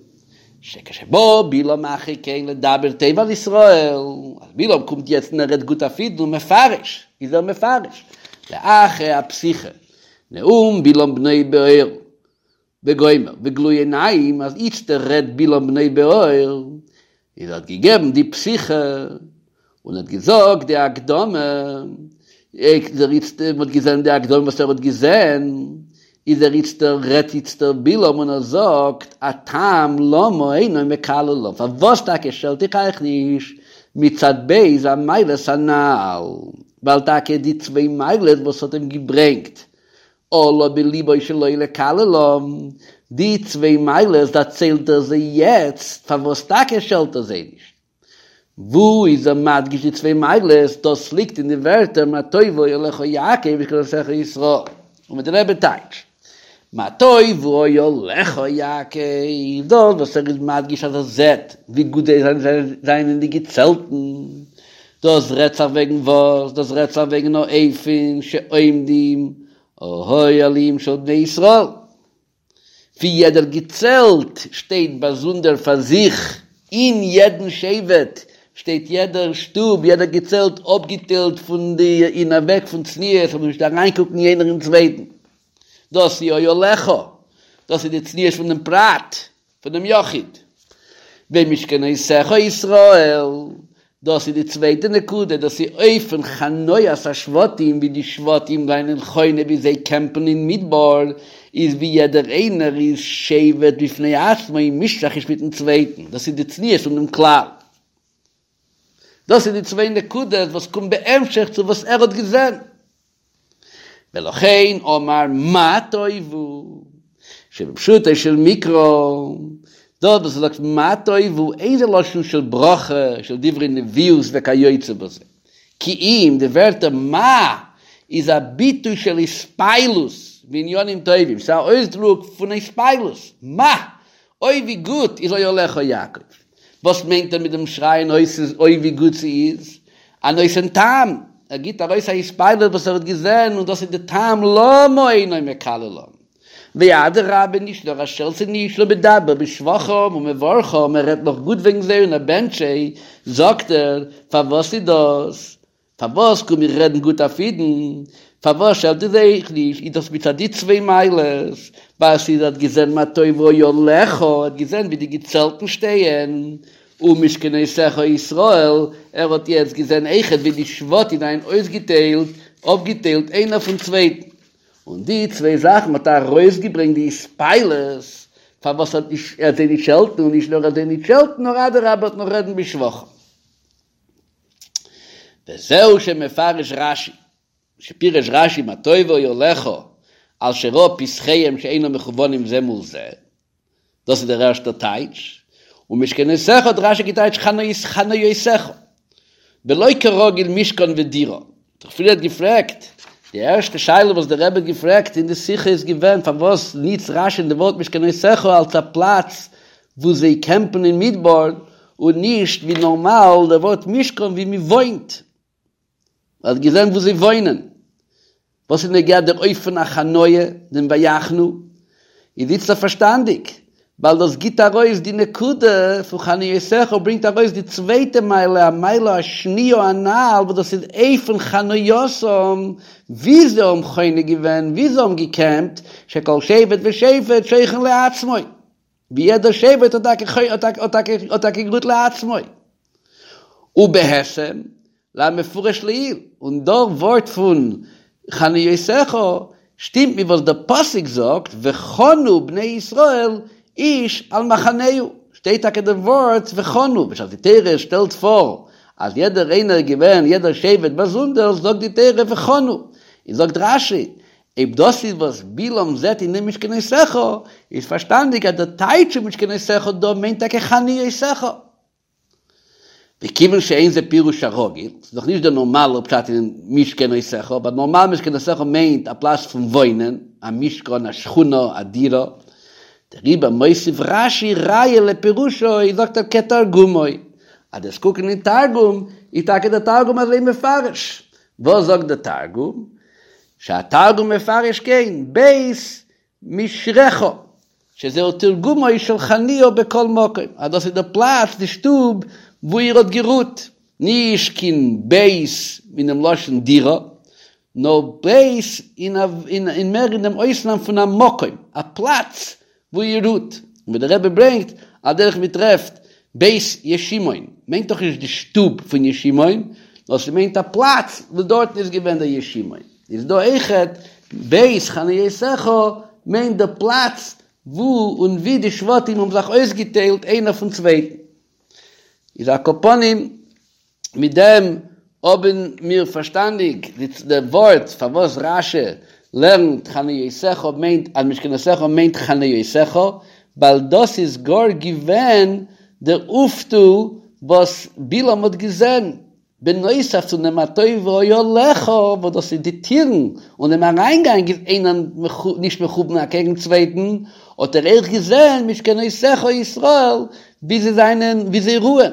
שכשבא בלעם אחרי כן לדבר טוב על ישראל, אז בלעם קומט יעצט און ער רעדט גוט אויף אידן און מפרש, איז ער מפרש, לאחרי הפתיחה, נאום בלעם בנו בעור, וגומר, וגלוי עיניים אז איצטער רעדט בלעם בנו בעור, איז ער האט געגעבן די פתיחה, און האט געזאגט די הקדמה, איז ער איצטער, מ'האט געזען די הקדמה וואס ער האט געזען, איז ער איצטער, רעדט איצטער בלעם און ער זאגט א טעם למה אינו מקללם, פארוואס טאקע שעלט איך אייך נישט מצד ב' המעלות הנ"ל, ווייל טאקע די צוויי מעלות וואס האט אים געברענגט עלה בליבו שלא לקללם, די צוויי מעלות דערציילט ער זיי יעצט, פארוואס טאקע שעלט ער זיי נישט? וואו איז ער מדגיש די צוויי מעלות? דאס ליגט אין די ווערטער מה טובו אהליך יעקב משכנותיך ישראל, און ווי דער רבי טייטשט מה טובו אהליך יעקב, דאס וואס ער איז מדגיש אז ער זעט ווי גוט זיי זענען די געצעלטן, דאס רעדט זיך וועגן וואס? דאס רעדט זיך וועגן האופן שעומדים האוהלים של בני ישראל, ווי יעדער געצעלט שטייט באזונדער פאר זיך, אין יעדן שבט שטייט יעדער שטוב, יעדער געצעלט אפגעטיילט פון די אין א וועג פון צניעות, זאל נישט אריינקוקן יענער אין צווייטן. דאס איז אהליך, דאס איז די צניעות פון דעם פרט, פונעם יחיד. ומשכנותיך ישראל, דאס איז די צווייטע נקודה, דאס איז אופן חניית השבטים, ווי די שבטים זענען חונה ווי זיי קעמפן אין מדבר, איז ווי יעדער איינער איז שבט בפני עצמו און מישט זיך נישט מיטן צווייטן, דאס איז די צניעות פון דעם כלל. דאס איז די צוויי נקודות וואס קומט בהמשך צו וואס ער האט געזען. ולכן אמר מה טובו, שבפשוטו של מקרא, דאס וואס ער זאגט מה טובו אין זה לשון של ברכה, של דברי נביאות וכיוצא בזה, כי אם די ווערטער מה איז א ביטוי של התפעלות מעניינים טובים, ס'איז א אויסדרוק פון התפעלות, מה! אוי ווי גוט איז אוהליך יעקב! וואס מיינט ער מיט דעם שרייען אויס אוי ווי גוט ס'איז? א נותן טעם, ער גיבט ארויס א התפעלות וואס ער האט געזען און דאס איז די טעם למה אינו מקללם. ואדרבה נישט נאר ער שעלט זיי נישט נאר מדבר בשבחם ומברכם ער רעדט נאך גוט וועגן זיי און ער בענטשט זיי, זאגט ער, פארוואס איז דאס? פארוואס קום איך רעדן גוט אויף אידן? פארוואס שעלט איך זיי נישט? איז דאס מצד די צוויי מעלות, ווייל ס'איז האט געזען מה טובו אוהליך, האט געזען ווי די געצעלטן שטייען, ומשכנותיך ישראל, ער האט יעצט געזען אויכעט ווי די שבטים זענען אויסגעטיילט, אפגעטיילט איינער פון צווייטן, און די צוויי זאכן האט ארויסגעברענגט די התפעלות פארוואס ער וועט זיי נישט שעלטן, און נישט נאר ער וועט זיי נישט שעלטן, נאר אדרבה ער וועט נאך רעדן בשבחם. וזהו שמפרש רש"י, שפירש רש"י מה טובו אוהליך על שראה פתחיהם שאינם מכוונים זה מול זה, דאס איז דער ערשטער טייטש, ומשכנותיך האט רש"י געטייטשט חניותיך, ולא כרגיל משכן ודירה, האט דאך פריערט געפרעגט, די ערשטע שאלה וואס דער רבי האט געפרעגט אין די שיחה איז געווען פארוואס ניצט רש"י די ווארט משכנותיך אלס א פלאץ וואו זיי קעמפן אין מדבר, און נישט ווי נארמאל דער ווארט משכן ווי מען וואוינט, מען האט געזען וואו זיי וואוינען. וואס איז נוגע דער אופן החניה, דעם ויחנו, איז איצטער פארשטאנדיג, ווייל דאס גיט ארויס די נקודה פון חניותיך ברענגט ארויס די צווייטע מעלה, המעלה השניה הנ"ל, וואס דאס איז אופן חנייתם, ווי זיי האבן חונה געווען, ווי זיי האבן געקעמפט, שכל שבט ושבט שוכן לעצמו, ווי יעדער שבט האט טאקע גערוהט לעצמו. ובהתאם למפורש לעיל, און דער ווארט פון חניותיך שטימט מיט וואס דער פסוק זאגט וחנו בני ישראל איש על מחנהו, שטייט טאקע דער ווארט וחנו, בשעת די תורה שטעלט פאר אז יעדער איינער איז געווען יעדער שבט באזונדער זאגט די תורה וחנו, און זאגט רש"י אויב דאס איז וואס בלעם זעט אין דעם משכנותיך, איז פארשטאנדיג אז דער טייטש פון משכנותיך דא מיינט טאקע חניותיך. וכיוון שאין זה פירוש הרגיל, ס'איז דאך נישט דער נארמאלער פשט אין משכנותיך, ווייל נארמאל משכנותיך מיינט א פלאץ פון וואוינען, א משכן, א שכונה, א דירה. דעריבער מוסיף רש"י ראיה לפירושו, זאגט ער כתרגומו, אז דו'סט קוקן אין תרגום, איז טאקע דער תרגום אזוי מפרש. וואס זאגט דער תרגום? שהתרגום מפרש כן, בית משרך, שזהו תרגומו של חניה בכל מקום, אז דאס איז די פלאץ, די שטוב, וואו איר האט גערוהט, נישט קיין בית אינעם לשון דירה, נאר בית אין מער אין דעם אויסנאם פון א מקום, א פלאץ וואו איר רוהט, און ווי דער רבי ברענגט, על דרך מ'טרעפט בית ישימון, מיינט דאך נישט די שטוב פון ישימון, נאר ס'מיינט א פלאץ וואו דארטן איז געווען דער ישימון. איז דא אויכעט בית חניותיך מיינט די פלאץ וואו און ווי די שבטים האבן זיך אויסגעטיילט איינער פון צווייטן. איז על כל פנים מיט דעם האבן מיר פארשטאנדיג די ווארט פארוואס רש"י לערנט חניותיך מיינט אז משכנותיך מיינט חניותיך, ווייל דאס איז גאר געווען דער אויפטו וואס בלעם האט געזען, בנוסף צו דעם מה טובו אהליך וואס דאס איז די טירן און דעם אריינגאנג איז איינער נישט מכוון אקעגן צווייטן, האט ער אויך געזען משכנותיך ישראל ווי זיי זענען ווי זיי רוען,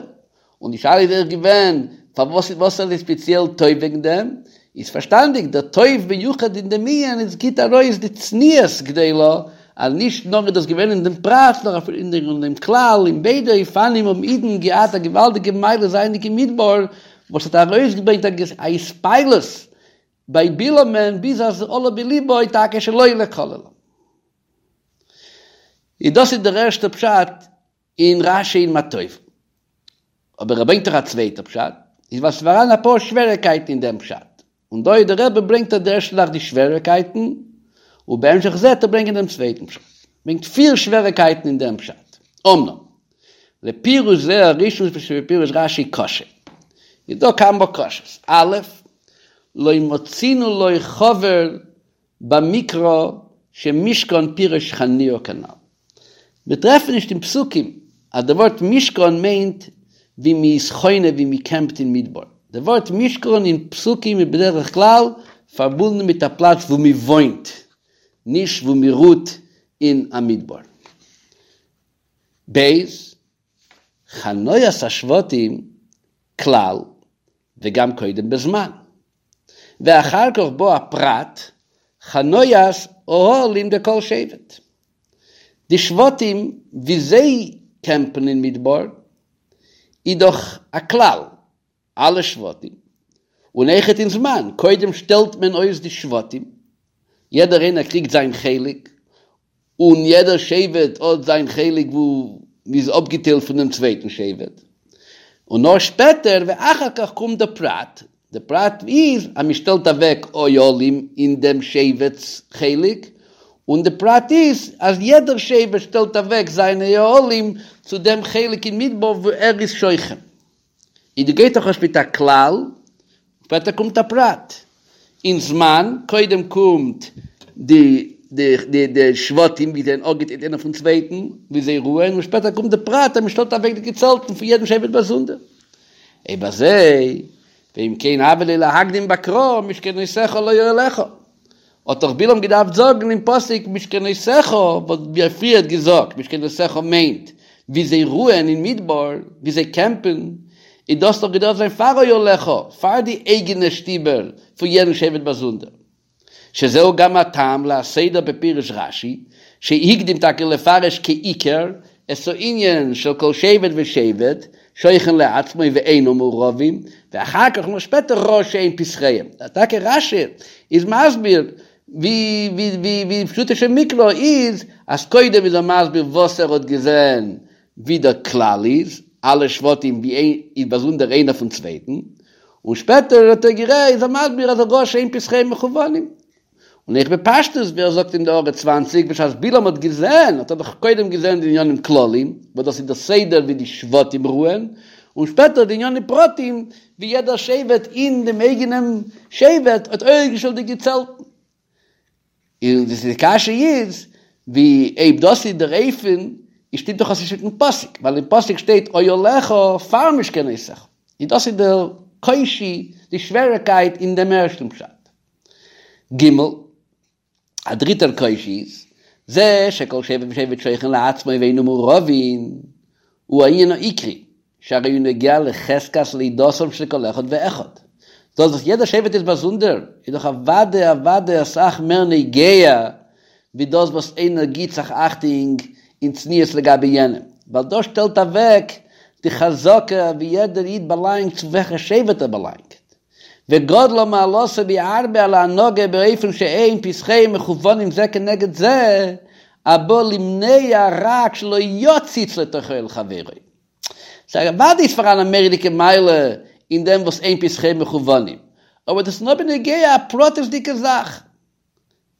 און די שאלה איז אויך געווען פארוואס וואס איז ספעציעל טוב וועגן דעם, איז פארשטאנדיג דער טוב מיוחד אין דעם ענין איז גיט ארויס די צניעות גדולה אז נישט נאר איז דאס געווען אין דעם פרט נאר אפילו אין דעם כלל, אין ביידע אופנים האבן אידן געהאט א געוואלדיגע מעלה זייענדיג אין מדבר וואס האט ארויסגעברענגט א התפעלות ביי בלעמ'ן ביז אז עלה בלבו טאקע שלא לקללם. איז דאס איז דער ערשטער פשט אין רש"י אין מה טובו. אבער ער ברענגט דאך א צווייטע פשט, איז ווייל ס'פאראן אפאר שוועריקייטן אין דעם פשט, און דא איז דער רבי ברענגט ער די ערשטע זאך די שוועריקייטן, ובהמשך זה וועט ער ברענגען דעם צווייטן פשט. ברענגט פיר שוועריקייטן אין דעם פשט. אמנם, לפירוש זה הראשון שבפירוש רש"י קשה. איז דא כמה קשיות. א', לא מצינו לו חבר במקרא שמשכן פירוש חניה כנ"ל. מיר טרעפן נישט אין פסוקים אז די ווארט משכן מיינט ווי מען איז חונה ווי מען קעמפט אין מדבר. די ווארט משכן אין פסוקים איז בדרך כלל פארבונדן מיט א פלאץ וואו מען וואוינט, נישט וואו מען רוהט אין א מדבר. ב. חניית השבטים כלל וגם קודם בזמן. ואחר כך בא הפרט, חניית אוהלים דכל שבט. די שבטים ווי זיי קעמפן אין מדבר איז דאך א כלל, אלע שבטים, און אויכעט אין זמן, קודם שטעלט מען אויס די שבטים, יעדער איינער קריגט זיין חלק, און יעדער שבט האט זיין חלק וואו מ'איז אפגעטיילט פון דעם צווייטן שבט, און נאר שפעטער ואחר כך קומט דער פרט, דער פרט איז אז מ'שטעלט אוועק אוהלים אין דעם שבט'ס חלק, און די פרט איז אז יעדער שבט שטעלט אוועק זיינע אוהלים צו דעם חלק אין מדבר וואו ער איז שוכן. איז דא גייט דאך אויס מיט א כלל, שפעטער קומט א פרט. אין זמן, קודם קומט די די די שבטים ווי זיי זענען אפגעטיילט איינער פון צווייטן, ווי זיי רוען, און שפעטער קומט די פרט אז מען שטעלט אוועק די געצעלטן פון יעדן שבט באזונדער. אויב אזוי, ואם כן הוה ליה להקדים בקרא משכנותיך לא אוהליך. האט דאך בלעם געדארפט זאגן אין פסוק משכנותיך, וואס ווי ער פריער האט געזאגט, משכנותיך מיינט ווי זיי רוען אין מדבר, ווי זיי קעמפן, איז דאס דאך געדארפט זיין פאר אוהליך, פאר די אייגענע שטיבער פון יעדן שבט באזונדער. שזהו גם הטעם להסדר בפירוש רש"י, שהקדים טאקע לפרש כעיקר את הענין של כל שבט ושבט שוכן לעצמו ואינו מעורבים, ואחר כך נאר שפעטער ראה שאין פתחיהם. טאקע רש"י איז מסביר ווי ווי ווי פשוטו של מקרא איז אז קודם איז ער מסביר וואס ער האט געזען ווי דער כלל איז, אלע שבטים ווי איז באזונדער איינער פון צווייטן, און שפעטער האט ער גערעדט איז ער מסביר אז ראה שאין פתחיהם מכוונים. און אויך בפשטות ווי ער זאגט אין די הערה צוואנציג בשעת בלעם האט געזען האט ער דאך קודם געזען די עניינים כלליים וואס דאס איז דער סדר ווי די שבטים רוען, און שפעטער די עניינים פרטיים ווי יעדער שבט אין דעם אייגענעם שבט האט אויפגעשטעלט די געצעלטן. און די קשיא איז, ווי אויב דאס איז דער אופן, איז שטימט דאך עס נישט מיטן פסוק, ווייל אין פסוק שטייט אוהליך פאר משכנותיך, און דאס איז דער קושי, די שוועריקייט אין דעם ערשטן פשט. ג. א דריטער קושי איז, זה שכל שבט ושבט שוכן לעצמו ואינו מעורבין, הוא הענין העיקרי, שהרי הוא נוגע לחזקת לידתם של כל אחד ואחד. דאס וואס יעדער שבט איז באזונדער, איז דאך אוודאי אוודאי אסאך מער נוגע ווי דאס וואס איינער גיט זיך אכטונג אין צניעות לגבי יענעם, ווייל דאס שטעלט אוועק די חזקה ווי יעדער איד באלאנגט צו וועלכע שבט ער באלאנגט. וגדלה מעלתו בהרבה על ההנהגה באופן שאין פתחיהם מכוונים זה כנגד זה, הבא למנוע רק שלא יציץ לתוך אוהל חברו. סא אוודאי איז פאראן א מורא'דיגע מעלה אין דעם וואס אין פתחיהם מכוונים, אבער דאס איז נאר בנוגע א פרטית'דיגע זאך.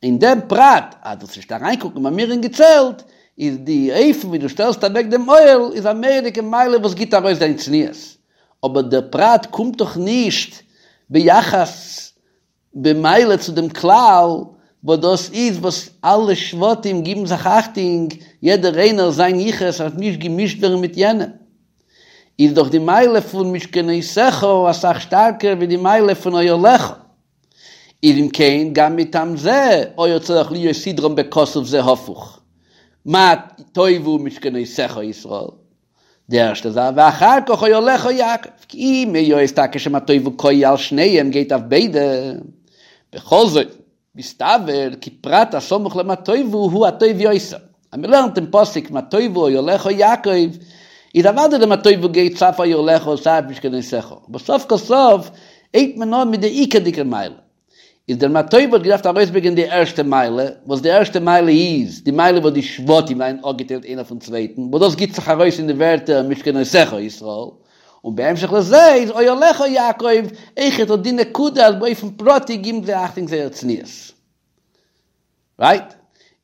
אין דעם פרט אז דו זאלסט נישט אריינקוקן ביי מיר אין געצעלט, איז די אופן ווי דו שטעלסט אוועק דעם אוהל איז א מורא'דיגע מעלה וואס גיבט ארויס דיין צניעות, אבער דער פרט קומט דאך נישט ביחס במעלה צו דעם כלל, וואס דאס איז וואס אלע שבטים גיבן זיך אכטונג, יעדער איינער זיין יחוס דארף נישט געמישט ווערן מיט יענעם. איז דאך די מעלה פון משכנותיך אסאך שטארקער ווי די מעלה פון אוהליך. איז אם כן, גם מטעם זה היה צריך להיות סדרם בכתוב זה הפוך, מה טובו משכנותיך ישראל, די ערשטע זאך, ואחר כך אוהליך יעקב, כי אם היות טאקע שמה טובו קאי על שניהם גייט אויף ביידע, בכל זאת, מסתבר כי פרט הסמוך למה טובו הוא הטוב יותר. אז מען לערנט דעם פסוק מה טובו אוהליך יעקב, איז אוודאי די מה טובו גייט סיי פאר אוהליך און סיי אויף משכנותיך, אבער סוף כל סוף הייבט מען אן מיט די עיקרדיגע מעלה. איז דער מה טובו האט געדארפט ארויסברענגען די ערשטע מעלה, וואס די ערשטע מעלה איז די מעלה וואס די שבטים זענען אפגעטיילט איינער פון צווייטן, וואס דאס גיבט זיך ארויס אין די ווערטער משכנותיך ישראל, און בהמשך לזה איז אוהליך יעקב אויכעט אט די נקודה אז באופן פרטי גיבן זיי אכטונג זייער צניעות. רייט?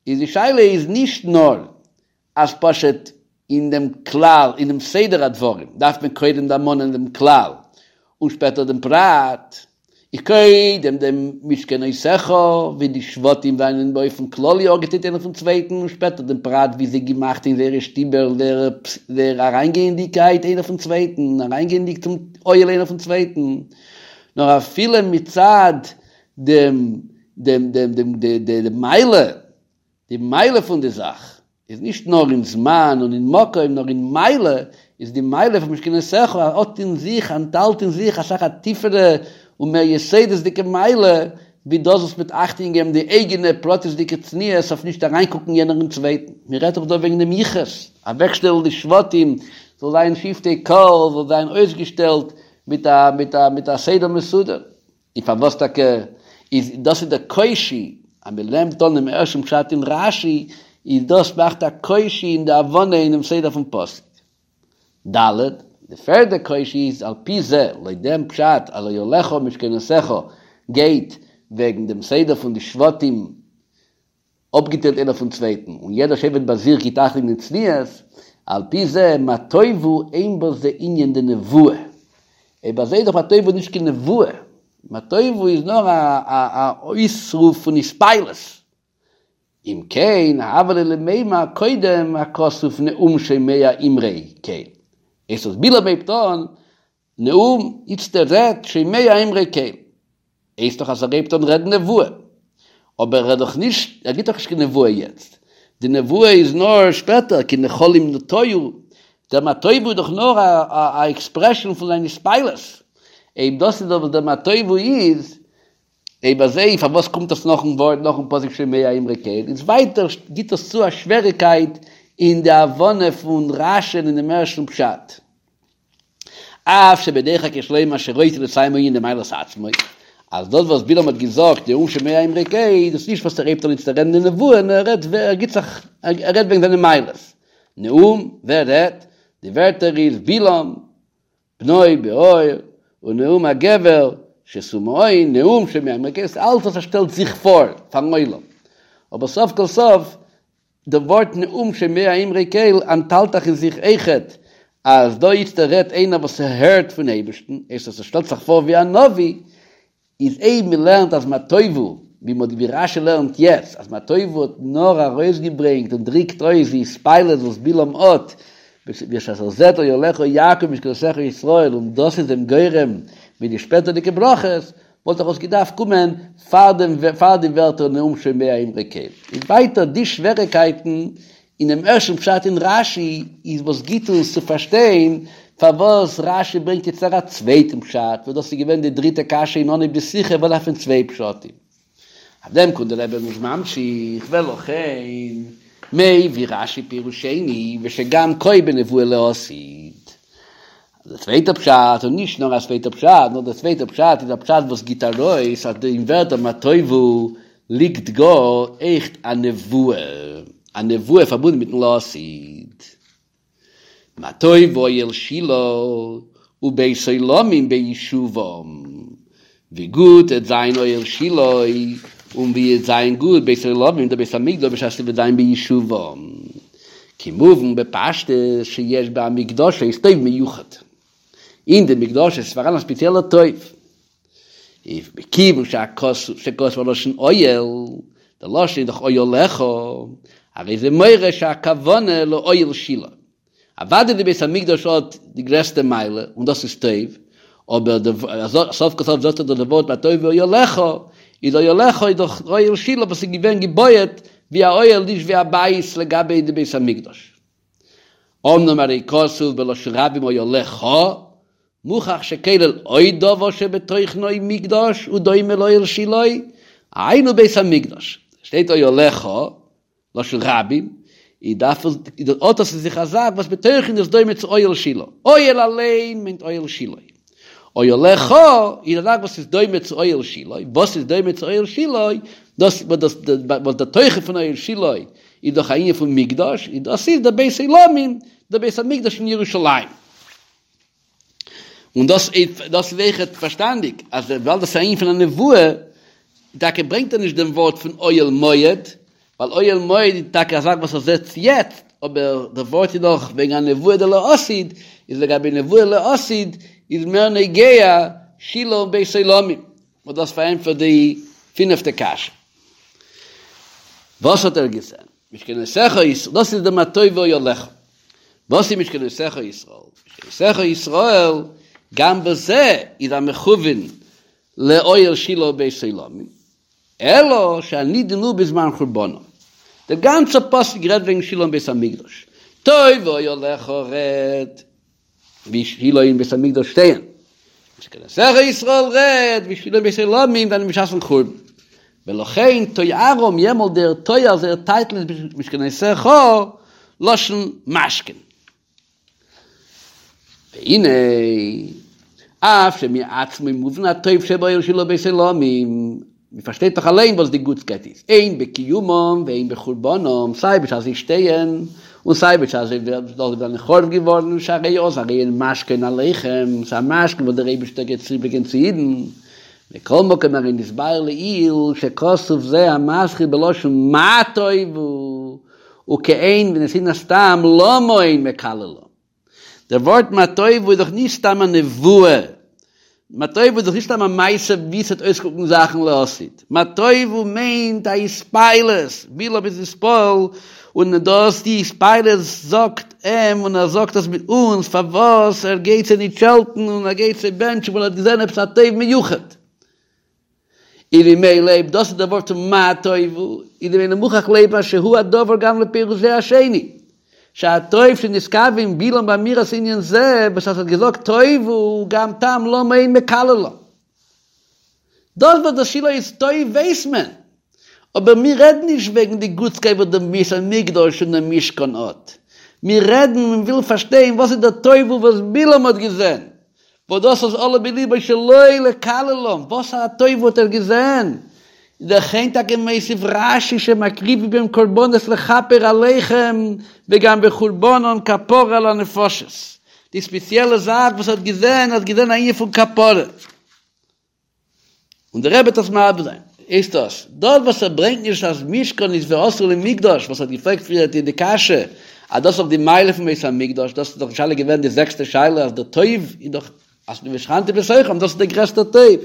איז די שאלה איז נישט נאר אז פשוט אין דעם כלל, אין דעם סדר הדברים, דארף מען קודם דערמאנען דעם כלל און שפעטער דעם פרט, איז קודם דעם משכנותיך ווי די שבטים זענען באופן כללי אפגעטיילט איינער פון צווייטן און שפעטער דעם פרט ווי זיי גיבן אכט אין זייערע שטיבער זייער אריינגייענדיגקייט איינער פון צווייטן, אריינגייענדיג צום אוהל איינער פון צווייטן, נאר אפילו מצד דעם דעם דעם דעם די מעלה, די מעלה פון די זאך איז נישט נאר אין זמן און אין מקום, נאר אין מעלה, איז די מעלה פון משכנותיך האט אין זיך, אנטהאלט אין זיך אסאך א טיפערע און מער יסודות'דיגע מעלה, ווי דאס וואס מ'וועט אכטונג געבן די אייגענע פרטית'דיגע צניעות אויף נישט אריינקוקן יענער אין צווייטן. מ'רעדט דאך דא וועגן דעם יחוס, אוועקשטעלן די שבטים, זאל זיין שבטי קה, זאל זיין אויסגעשטעלט מיט א מיט א מיט א סדר מסודר. און פארוואס טאקע איז דאס איז דער קושי אז מען נעמט אן דעם ערשטן פשט אין רש"י, איז דאס מאכט א קושי אין די הבנה אינעם סדר פון פסוק. ד. די פערדע קושי איז על פי זה, לויט דעם פשט אז אוהליך משכנותיך גייט וועגן דעם סדר פון די שבטים אפגעטיילט איינער פון צווייטן, און יעדער שבט ביי זיך גיט אכטונג אין צניעות, על פי זה מה טובו אין בזה ענין דנבואה. אויב אזוי איז דאך מה טובו נישט קיין נבואה, מה טובו איז נאר א אויסרוף פון התפעלות. אם כן, הוה ליה למימר קודם הכתוב נאום שומע אמרי קל. איז אז בלעם הייבט אן נאום, איצטער רעדט שומע אמרי קל. הייסט דאך אז ער הייבט אן רעדן נבואה. אבער ער האט דאך נישט, ער גיבט דאך נישט קיין נבואה יעצט. די נבואה איז נאר שפעטער, כי נחלים נטיו. דער מה טובו איז דאך נאר א א עקספרעשאן פון זיין התפעלות. אויב דאס איז דאך וואס דער מה טובו איז. אויב אזוי פארוואס קומט דאס נאכן ווארט נאכן פסוק שומע אמרי קל? איז ווייטער גיט דאס צו א שוועריקייט אין די הבנה פון רש"י אין דעם ערשטן פשט. אף שבדוחק יש לומר שרוצה לסיים הענין דמעלת עצמו, אז דאס וואס בלעם האט געזאגט נאום שומע אמרי קל, דאס איז נישט וואס ער הייבט אן איצטער רעדן די נבואה, נאר ער רעדט ער גיט זיך ער רעדט וועגן זיינע מעלות. נאום, ווער רעדט? די ווערטער איז בלעם, בנו בעור, ונאום הגבר, שתו מעון, נאום שומע אמרי קל, ס'איז אלץ וואס ער שטעלט זיך פאר פארן עולם. אבער סוף כל סוף די ווארט נאום שומע אמרי קל אנטהאלט דאך אין זיך אויכעט אז דא איצטער רעדט איינער וואס הערט פון אייבערשטן, הייסט עס ער שטעלט זיך פאר ווי א נביא, איז אויב מען לערנט אז מה טובו, ווי מ'האט ווי רש"י לערנט יעצט, אז מה טובו האט נאר ארויסגעברענגט און דריקט אויס די התפעלות וואס בלעם האט, בשעת ער זעט אהליך יעקב משכנותיך ישראל און דאס איז אים גורם מיט די שפעטערדיגע ברכות, וואלט דאך עס געדארפט קומען פאר דעם פאר די ווערטער נאום שומע אמרי קל. איז ווייטער די שוועריקייטן אינעם ערשטן פשט אין רש"י איז וואס גיט אונז צו פארשטיין פארוואס רש"י ברענגט יעצט א צווייטן פשט, וואס דאס איז געווען די דריטע קשיא אין אנהויב די שיחה, וואס דארף מען צוויי פשטים? אויף דעם קומט דער רבי און איז ממשיך, ולכן מביא רש"י פירוש שני ושגם כה בנבואה לעתיד. דער צווייטער פשט, און נישט נאר א צווייטער פשט, נאר דער צווייטער פשט איז א פשט וואס גיט ארויס אז אין ווערטער מה טובו ליגט גאר עכט א נבואה, א נבואה פארבונדן מיטן לעתיד. מה טוב אוהל שילה ובית עולמים בישובם, ווי גוט עט זיין אוהל שילה און ווי עט זיין גוט בית עולמים דער בית המקדש בשעת ס'וועט זיין בישובם, כמובן בפשטות שיש בהמקדשות טוב מיוחד, אין די מקדשות איז פאראן א ספעציעלער טוב, איז מכיוון שכתוב הלשון אוהל, דער לשון איז דאך אוהליך, הרי זה מורה שהכוונה לאוהל שילה. אוודאי די בית המקדש האט די גרעסטע מעלה, און דאס איז טוב, אבער די, סוף כל סוף זאגט ער דאך די ווארט מה טובו אוהליך, איז אוהליך איז דאך אוהל שילה וואס איז געווען געבויעט ווי א אוהל נישט ווי א בית לגבי די בית המקדש. אמנם הרי כתוב בלשון רבים אוהליך, מוכח שכולל עוד דבר שבתוכנו מקדש ודומה לאוהל שילה, היינו בית המקדש. שטייט אוהליך, לשון רבים, איז דארף עס, האט עס אין זיך א זאך וואס בתוכן איז דומה צו אוהל שילה. אוהל אליין מיינט אוהל שילה. אוהליך איז א זאך וואס איז דומה צו אוהל שילה. וואס איז דומה צו אוהל שילה? דאס וואס דער תוכן פון אוהל שילה איז דאך א ענין פון מקדש, איז דאס איז דער בית עולמים, דער בית המקדש אין ירושלים. און דאס איז דאס איז אויכעט פארשטאנדיג אז וויבאלד דאס איז א ענין פון א נבואה, טאקע ברענגט ער נישט דעם ווארט פון אוהל מועד, ווייל אוהל מועד איז טאקע א זאך וואס ער זעט יעצט, אבער דער ווארט איז דאך וועגן א נבואה דלעתיד, איז לגבי נבואה לעתיד איז מער נוגע שילה און בית עולמים, וואס דאס פארענטפערט די פינפטע קשיא. וואס האט ער געזען? משכנותיך ישראל, דאס איז די מה טובו אוהליך. וואס איז משכנותיך ישראל? משכנותיך ישראל, גם בזה איז א מכוון לאוהל שילה ובית עולמים, אלא שהנידון הוא בזמן חורבנם. דער גאנצער פסוק רעדט וועגן שילה און בית המקדש. טוב אוהליך רעדט ווי שילה און בית המקדש שטייען. משכנותיך ישראל רעדט ווי שילה און בית עולמים זענען בשעת'ן חורבן. ולכן תוארם יעמאלט דער תואר זייער טייטל איז משכנותיך לשון משכן. והנה, אף שמעצמו מובן הטוב שבאוהל שילה ובית עולמים, מען פארשטייט דאך אליין וואס די גוטסקייט איז, הן בקיומם והן בחורבנם, סיי בשעת זיי שטייען, און סיי בשעת זיי זענען חרוב געווארן, שהרי אז הרי הן משכן עליכם, ס'איז א משכן וואס דער אייבערשטער גייט צוברענגען צו אידן, מכל מקום הרי נתבאר לעיל שכתוב זה המתחיל בלשון מה טובו וכעין ונתינת טעם למה הן מקללם. דער ווארט מה טובו איז דאך נישט סתם א נבואה, מה טובו איז דאך נישט סתם א מעשה ווי ס'וועט אויסקוקן זאכן לעתיד, מה טובו מיינט א התפעלות, בלעם איז נתפעל און דאס די התפעלות זאגט אים און ער זאגט עס מיט אונז פארוואס ער גייט זיי נישט שעלטן און ער גייט זיי בענטשן ווייל ער האט געזען עפעס א טוב מיוחד. און ממילא אויב דאס איז דער ווארט פון מה טובו, איז ממילא מוכרח לומר שהוא הדבר גם לפירוש זה השני, שהטוב שנתכוון בלעם באמירת ענין זה, וואס ער האט געזאגט טובו גם טעם למה הן מקללם. דאס וואס דער שילה איז טוב ווייס מען, אבער מיר רעדן נישט וועגן די גוטסקייט וואס דער בית המקדש און דער משכן האט, מיר רעדן און ווילן פארשטיין וואס איז דער טובה וואס בלעם האט געזען, וואס דאס איז עלה בלבו שלא לקללם, וואס א טובה האט ער געזען? לכן טאקע מוסיף רשי שמקריבים בהם קרבנות לכפר עליכם וגם בחורבנן כפרה על הנפשות, די ספעציעלע זאך וואס ער האט געזען, ער האט געזען א ענין פון כפרה. און דער רבי וועט דאס מסביר זיין, איז דאס דאס וואס ער ברענגט נישט אז משכן איז ועשו לי מקדש, וואס ער האט געפרעגט פריער די קשיא, אז דאס איז דאך די מעלה פון בית המקדש, דאס איז דאך די שאלה געווען די זעקסטע שאלה אז דער טוב איז דאך אז ושכנתי בתוכם, דאס איז דער גרעסטער טוב.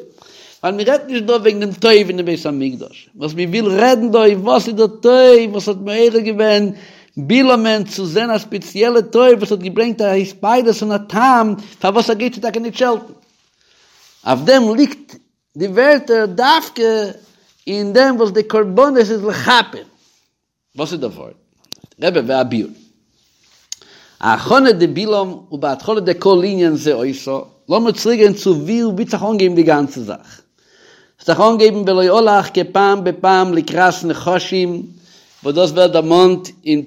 ווייל מען רעדט נישט דא וועגן דעם טוב אין דעם בית המקדש, וואס מען וויל רעדן דא איז וואס איז דער טוב וואס האט מעורר געווען בלעמ'ן צו זען א ספעציעלע טוב וואס האט געברענגט א התפעלות און א טעם פארוואס ער גייט זיי טאקע נישט שעלטן. אויף דעם ליגט די ווערטער דווקא אין דעם וואס די קרבנות איז לכפר. וואס איז דער ווארט? רבי והביאור. ההכנה דבלעם ובהתחלה דכל ענין זה היתה, לאמיר צוריק גיין צו ווי ווי האט זיך אנגעהויבן די גאנצע זאך. ס'האט זיך אנגעהויבן ולא הלך כפעם בפעם לקראת נחשים, וואס דאס ווערט דערמאנט אין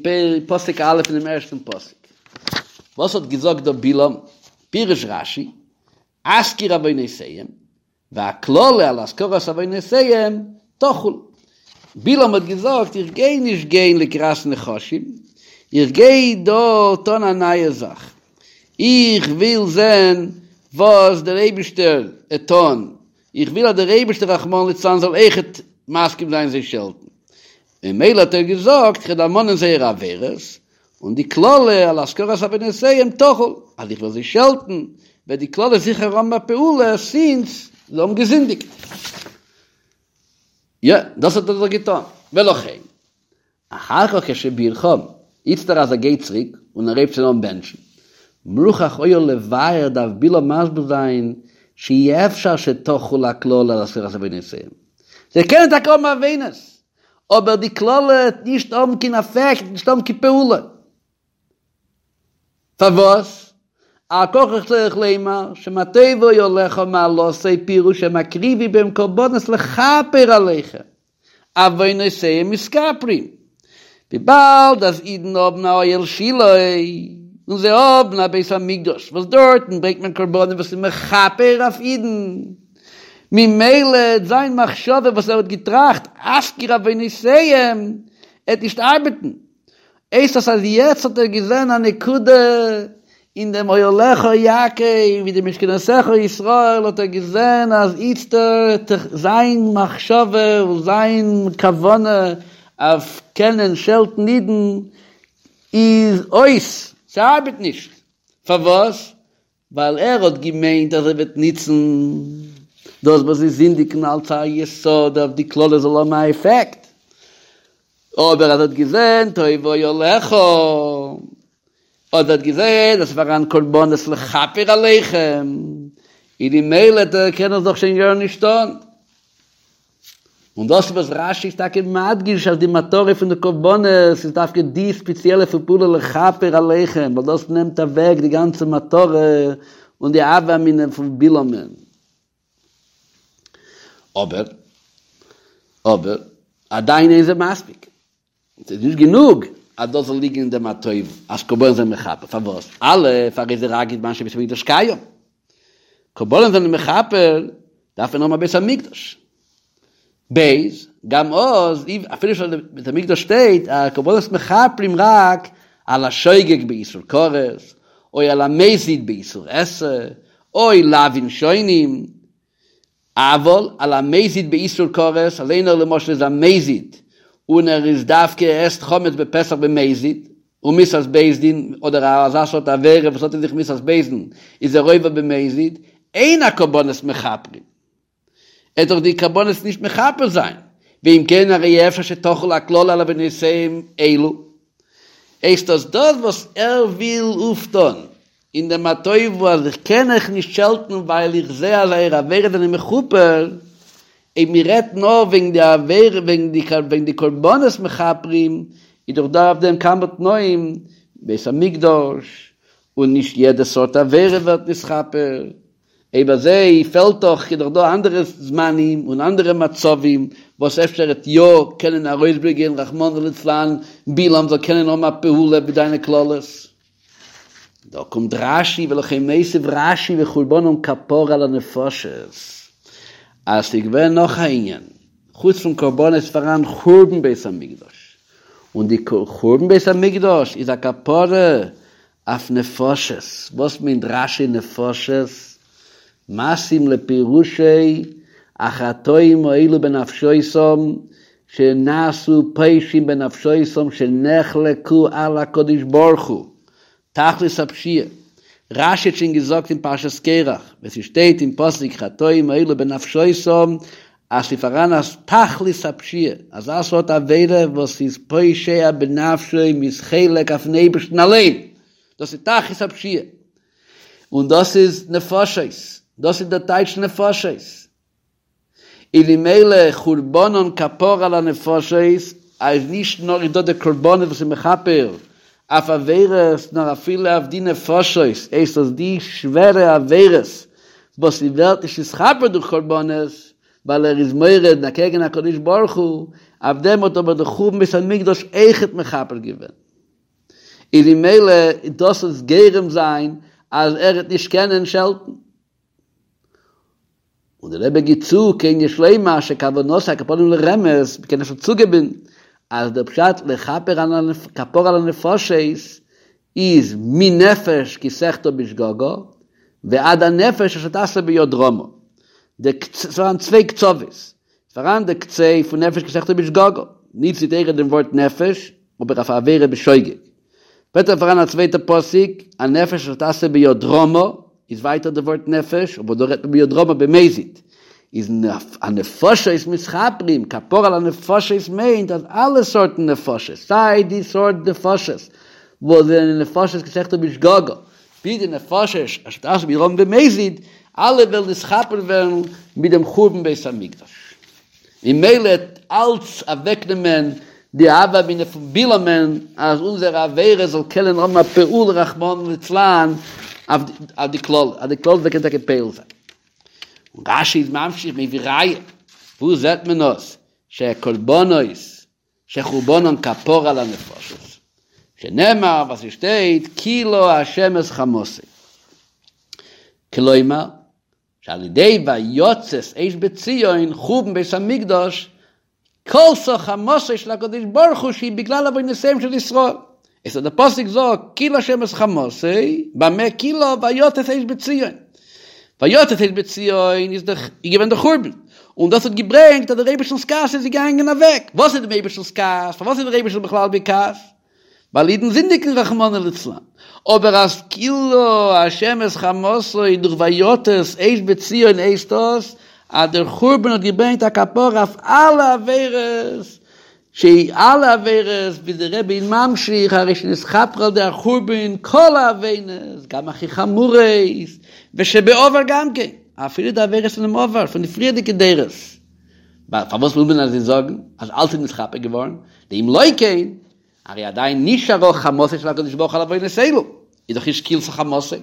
פסוק א' אינעם ערשטן פסוק. וואס האט געזאגט דא בלעם? פירש רשי, אזכיר עוונותיהם, והקללה על הזכרת עוונותיהם תחול. בלעם האט געזאגט, איך גיי נישט גיין לקראת נחשים, איך גיי דא טון א נייע זאך, איך וויל זען וואס דער אייבישטער עט טון, איך וויל אז דער אייבישטער רחמנא ליצלן זאל אויכעט מסכים זיין זיי שעלטן. ממילא האט ער געזאגט, כ'וועל דערמאנען זייערע עבירות, און די קללה על הזכרת עוונותיהם תחול, אז איך וועל זיי שעלטן, וועט די קללה זיכער האבן א פעולה, סינס זיי האבן געזינדיגט. יא, דאס האט ער דאך געטון. ולכן, אחר כך כשבירכם, איצטער אז ער גייט צוריק און ער הייבט שוין אן בענטשן, מוכרח היה לבאר דארף בלעם מסביר זיין שאי אפשר שתחול הקללה על הזכרת עוונותיהם. זיי קענען טאקע האבן עוונות, אבער די קללה וועט נישט האבן קיין אפעקט, נישט האבן קיין פעולה. פארוואס? על כרחך צריך לומר שמה טובו אהליך מעלתו פירוש שמקריבים בהם קרבנות לכפר עליכם, עוונותיהם מתכפרים. וויבאלד אז אידן האבן א אוהל שילה און זיי האבן א בית המקדש וואס דארטן ברענגט מען קרבנות וואס איז מכפר אויף אידן, ממילא עט זיין מחשבה וואס ער האט געטראכט אזכיר עוונותיהם עט נישט ארבעטן, הייסט עס אז יעצט האט ער געזען א נקודה אין דעם אוהליך יעקב ווי די משכנותיך ישראל האט ער געזען אז איצטערט זיין מחשבה און זיין כוונה אויף קענען שעלטן אידן איז אויס, ס'ארבעט נישט, פארוואס? ווייל ער האט געמיינט אז ער וועט ניצן דאס וואס זיי זינדיגן אלס א יסוד אויף די קללה זאל האבן א עפעקט, אבער אז ער האט געזען טוב אוהליך, אז ער האט געזען אז ס'איז פאראן קרבנות לכפר עליכם, איז ממילא קען ער דאך שוין גארנישט טון. און דאס איז וואס רש"י איז טאקע מדגיש אז די מטרה פון די קרבנות איז דווקא די ספעציעלע פעולה לכפר עליכם, ווייל דאס נעמט אוועק די גאנצע מטרה און די הוה אמינא פון בלעמ'ן. אבער, אבער, עדיין אין זה מספיק. ס'איז נישט גענוג אז דאס זאל ליגן אין דעם מה טוב אז קרבנות זענען מכפר, פארוואס? א' הרי זה רק בזמן שבית המקדש קיים, קרבנות זענען מכפר דארף מען האבן א בית המקדש, ב' גם אז אפילו שוין בית המקדש שטייט אז קרבנות מכפרים רק על השוגג באיסור כרת, או על המזיד באיסור עשה, או לאווין שונים, אבל על המזיד באיסור כרת, אז איינער למשל איז א מזיד און ער איז דווקא עסט חמץ בפסח במזיד, ומיתת בית דין, אדער אזא סארט עבירה וואס האט אין זיך מיתת בית דין, איז ער עובר במזיד, אין הקרבנות מכפרים. עט דאך די קרבנות נישט מכפר זיין, ואם כן הרי אפשר שתחול הקללה על עוונותיהם אלו. הייסט דאס דאס וואס ער וויל אויפטון אין דעם מה טובו אז איך קען אייך נישט שעלטן ווייל איך זע אז אייערע עבירות זענען מכופר, אויב מען רעדט נאר וועגן די עבירה וועגן די וועגן די קרבנות מכפרים, איז דאך דא אויף דעם כמה תנאים, בית המקדש, און נישט יעדע סארט עבירה ווערט נתכפר. אויב אזוי פעלט דאך, איז דאך דא אנדערע זמנים און אנדערע מצבים וואס אפשר עט יא קענען ארויסברענגען רחמנא ליצלן בלעם זאל קענען האבן א פעולה מיט דיינע קללות. דא קומט רשי ולכן מוסיף רשי וחורבנם כפרה על הנפשות אז ס'איז געווען נאך א ענין, חוץ פון קרבנות איז פאראן חורבן בית המקדש, און די חורבן בית המקדש איז א כפרה אויף נפשות, וואס מיינט רשי נפשות? מתאים לפירושו החטאים האלו בנפשותם שנעשו פושעים בנפשותם שנחלקו על הקדוש ברוך הוא, תכלית הפשיעה, רשי האט שוין געזאגט אין פרשת קרח, ווען ס'שטייט אין פסוק חטאים האלו בנפשותם, אז ס'איז פאראן א תכלית הפשיעה, אזא סארט עבירה וואס איז פושע בנפשו מ'איז חולק אויפן אייבערשטן אליין, דאס איז תכלית הפשיעה, און דאס איז נפשות, דאס איז דער טייטש נפשות. און ממילא חורבנן כפרה על הנפשות, אז נישט נאר איז דא די קרבנות וואס איז מכפר אויף עבירות, נאר אפילו אויף די נפשות, הייסט אז די שווערע עבירות וואס ס'ווערט נישט נתכפר דורך קרבנות, ווייל ער איז מורד אקעגן הקדוש ברוך הוא, אויף דעם האט אבער די חורבן בית המקדש אויכעט מכפר געווען. איז ממילא דאס וועט גורם זיין אז ער וועט נישט קענען שעלטן. און דער רבי גיט צו, כן יש לומר שכוונתו על כל פנים לרמז, מ'קען אפשר צוגעבן אז דער פשט לכפר על כפרה על הנפשות איז מנפש כי תחטא בשגגה ועד הנפש אשר תעשה ביד רמה. ס'פאראן צוויי קצוות, ס'פאראן די קצה פון נפש כי תחטא בשגגה, ניצט די תורה דעם ווארט נפש, אבער אויף א עבירה בשוגג. שפעטער פאראן א צווייטע פסוק, הנפש אשר תעשה ביד רמה, איז ווייטער די ווארט נפש, אבער דא רעדט מען ביד רמה במזיד. איז הנפשות מתכפרים, כפרה על הנפשות מיינט אז אלע סארטן נפשות, סיי די סארט נפשות וואס זענען נפשות כי תחטא בשגגה, ביז די נפשות אשר תעשה ביד רמה במזיד, אלע וועלן נתכפר ווערן מיט דעם חורבן בית המקדש. ממילא וועט אלץ אוועקנעמען די הוה אמינא פון בלעמ'ן אז אונזער עבירה זאל קענען האבן א פעולה רחמנא ליצלן אויף די קללה, אז די קללה זאל קענען טאקע פועל זיין. און רשי איז ממשיך מביא ראיה, וואו זעט מען עס שקרבנות שחורבנן כפרה על הנפשות, שנאמר וואס עס שטייט כילה ה' את חמתו, כלומר שעל ידי ויצת אש בציון חורבן בית המקדש כלתה חמתו של הקדוש ברוך הוא שהיא בגלל עוונותיהם של ישראל, איז דער פסוק זאגט כילה ה' את חמתו, במה כילה ויצת אש בציון, ויצת אש בציון איז דאך איז געווען דער חורבן, און דאס האט געברענגט אז דער אייבערשטנ'ס כעס איז געגאנגען אוועק, וואס איז דעם אייבערשטנ'ס כעס? פארוואס איז דער אייבערשטער בכלל בכעס? ווייל אידן זינדיגן רחמנא ליצלן, אבער אז כילה השם את חמתו דורך ויצת אש בציון הייסט דאס אז דער חורבן האט געברענגט א כפרה אויף אלע עבירות, שהיא אלע עבירות, ווי דער רבי איז ממשיך, הרי שנתכפרו על ידי החורבן כל העוונות, גם הכי חמורות, ושבעבר גם כן, אפילו די עבירות פונעם עבר, פון די פריערדיגע דורות. פארוואס וויל מען אזוי זאגן, אז אלץ איז נתכפר געווארן, דאם לא כן, הרי עדיין נשארה חמתו של הקדוש ברוך הוא על עוונות אלו, איז דאך נישט כילתה חמתו,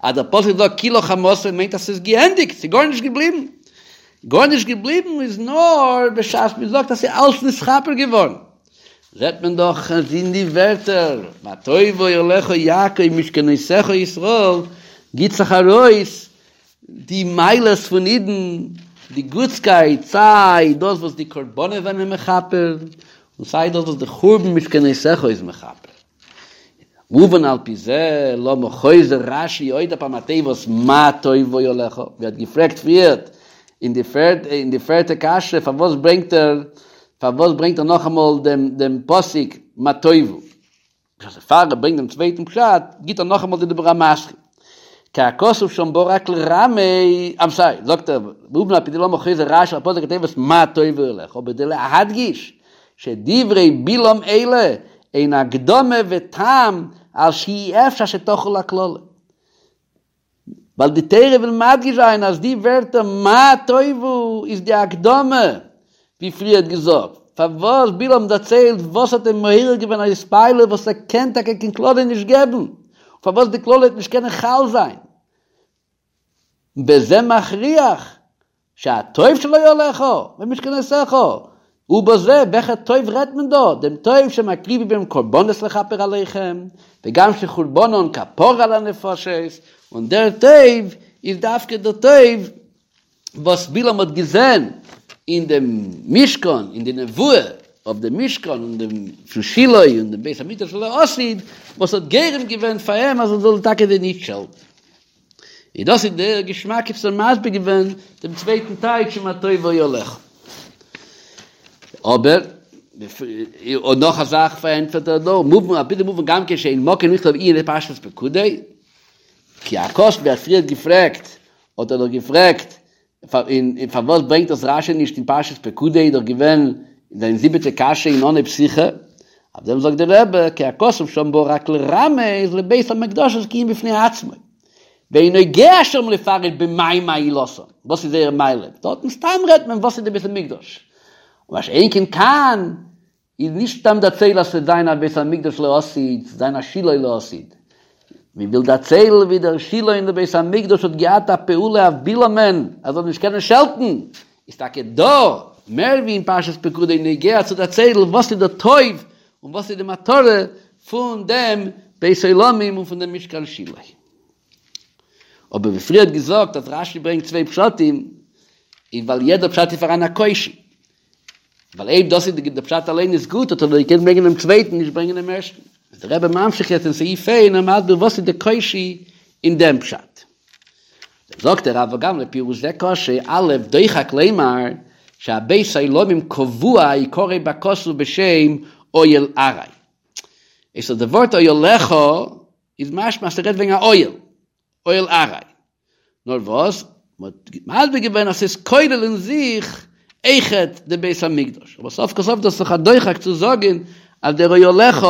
אז דער פסוק זאגט כילה חמתו מיינט אז ס'איז געענדיגט, ס'איז גארנישט געבליבן. גארנישט געבליבן איז נאר בשעת מען זאגט אז ס'איז אלץ נתכפר געווארן. זעט מען דאך אז אין די ווערטער מה טובו אהליך יעקב משכנותיך ישראל גיט זיך ארויס די מעלות פון אידן, די גוטסקייט, סיי דאס וואס די קרבנות זענען מכפר, און סיי דאס וואס די חורבן משכנותיך איז מכפר. מובן על פי זה, למה חוזר רש"י עוד הפעם התיבות מה טובו אהליך, ווי האט געפרעגט פריערט אין די פערט אין די פערטע קשיא פארוואס ברענגט ער פארוואס ברענגט ער נאכאמאל דעם דעם פסוק מה טובו, בשעת פאר ער ברענגט דעם צווייטן פשט גיט ער נאכאמאל די דיבור המתחיל כי הכתוב שם בא רק לרמז, איים סארי, זאגט ער, מובן על פי זה למה חוזר רש"י על פסוק התיבות מה טובו אהליך, בכדי להדגיש שדברי בלעם אלה הן הקדמה וטעם על שאי אפשר שתחול הקללה. ווייל די תורה וויל מדגיש זיין אז די ווערטער מה טובו איז די הקדמה, ווי פריערט געזאגט, פארוואס בלעם דערציילט וואס האט אים מעורר געווען א התפעלות וואס ער קען טאקע קיין קללה נישט געבן, און פארוואס די קללה וועט נישט קענען חל זיין. בזה מכריח שהטוב של אוהליך ומשכנותיך, ובזה, וועלכע טוב רעדט מען דא? דעם טוב שמקריבים בהם קרבנות לכפר עליכם, וגם שחורבנן כפרה על הנפשות, און דער טוב איז דווקא דער טוב וואס בלעם האט געזען אין דעם משכן, אין די נבואה אויף דעם משכן און דעם פון שילה און דעם בית המקדש לעתיד, וואס האט גורם געווען פאר אים אז ער זאל טאקע זיי נישט שעלטן. און דאס איז דער געשמאק וואס ער האט מסביר געווען דעם צווייטן טייטש מה טובו אהליך. אבער, און נאך א זאך פארענטפערט ער דא, מובן, על פי זה מובן גם כן שאין מקום לכתוב ענין זה בפרשת פקודי, כי הכתוב ווי ער האט פריער געפרעגט, האט ער דאך געפרעגט, און פארוואס ברענגט דאס רשי נישט אין פרשת פקודי, איז דאך געווען זיין זיבעטע קשיא אין אנהייב שיחה, אויף דעם זאגט דער רבי, כי הכתוב שם בא רק לרמז לבית המקדשות כענין בפני עצמו, ואין נוגע שם לפרט במאי מעילתן, וואס איז זייער מעלה, דארטן סתם רעדט מען וואס איז די בית המקדש, מה שאין כן כאן, איז נישט סתם דערציילן אז ס'וועט זיין א בית המקדש לעתיד, ס'וועט זיין א שילה לעתיד. מען וויל דערציילן ווי דער שילה און דער בית המקדש האט געהאט א פעולה אויף בלעמ'ן ער זאל נישט קענען שעלטן, איז טאקע דא מער ווי אין פרשת פקודי נוגע צו דערציילן וואס איז דער טוב און וואס איז די מטרה פון דעם בית עולמים און פון דעם משכן שילה. אבער ווי פריערט געזאגט אז רשי ברענגט צוויי פשטים, איז ווייל יעדער פשט איז פאראן א קושיא. ווייל אויב דאס איז די פשט אליין איז גוט האט ער דאך געקענט ברענגען דעם צווייטן נישט ברענגען דעם ערשטן. איז דער רבי ממשיך יעצט אין סעיף ה' און ער מסביר וואס איז די קושיא אין דעם פשט. זאגט ער אבל גם לפירוש זה קשה, א' דוחק לומר שהבית עולמים קבוע יקרא בכתוב בשם אוהל עראי. איז די ווארט אוהליך איז משמע אז ס'רעדט וועגן א אוהל, אוהל עראי. נאר וואס, מ'האט מסביר געווען אז ס'איז כולל אין זיך אויכעט די בית המקדש, אבער סוף כל סוף דאס איז דאך א דוחק צו זאגן אז דער אוהליך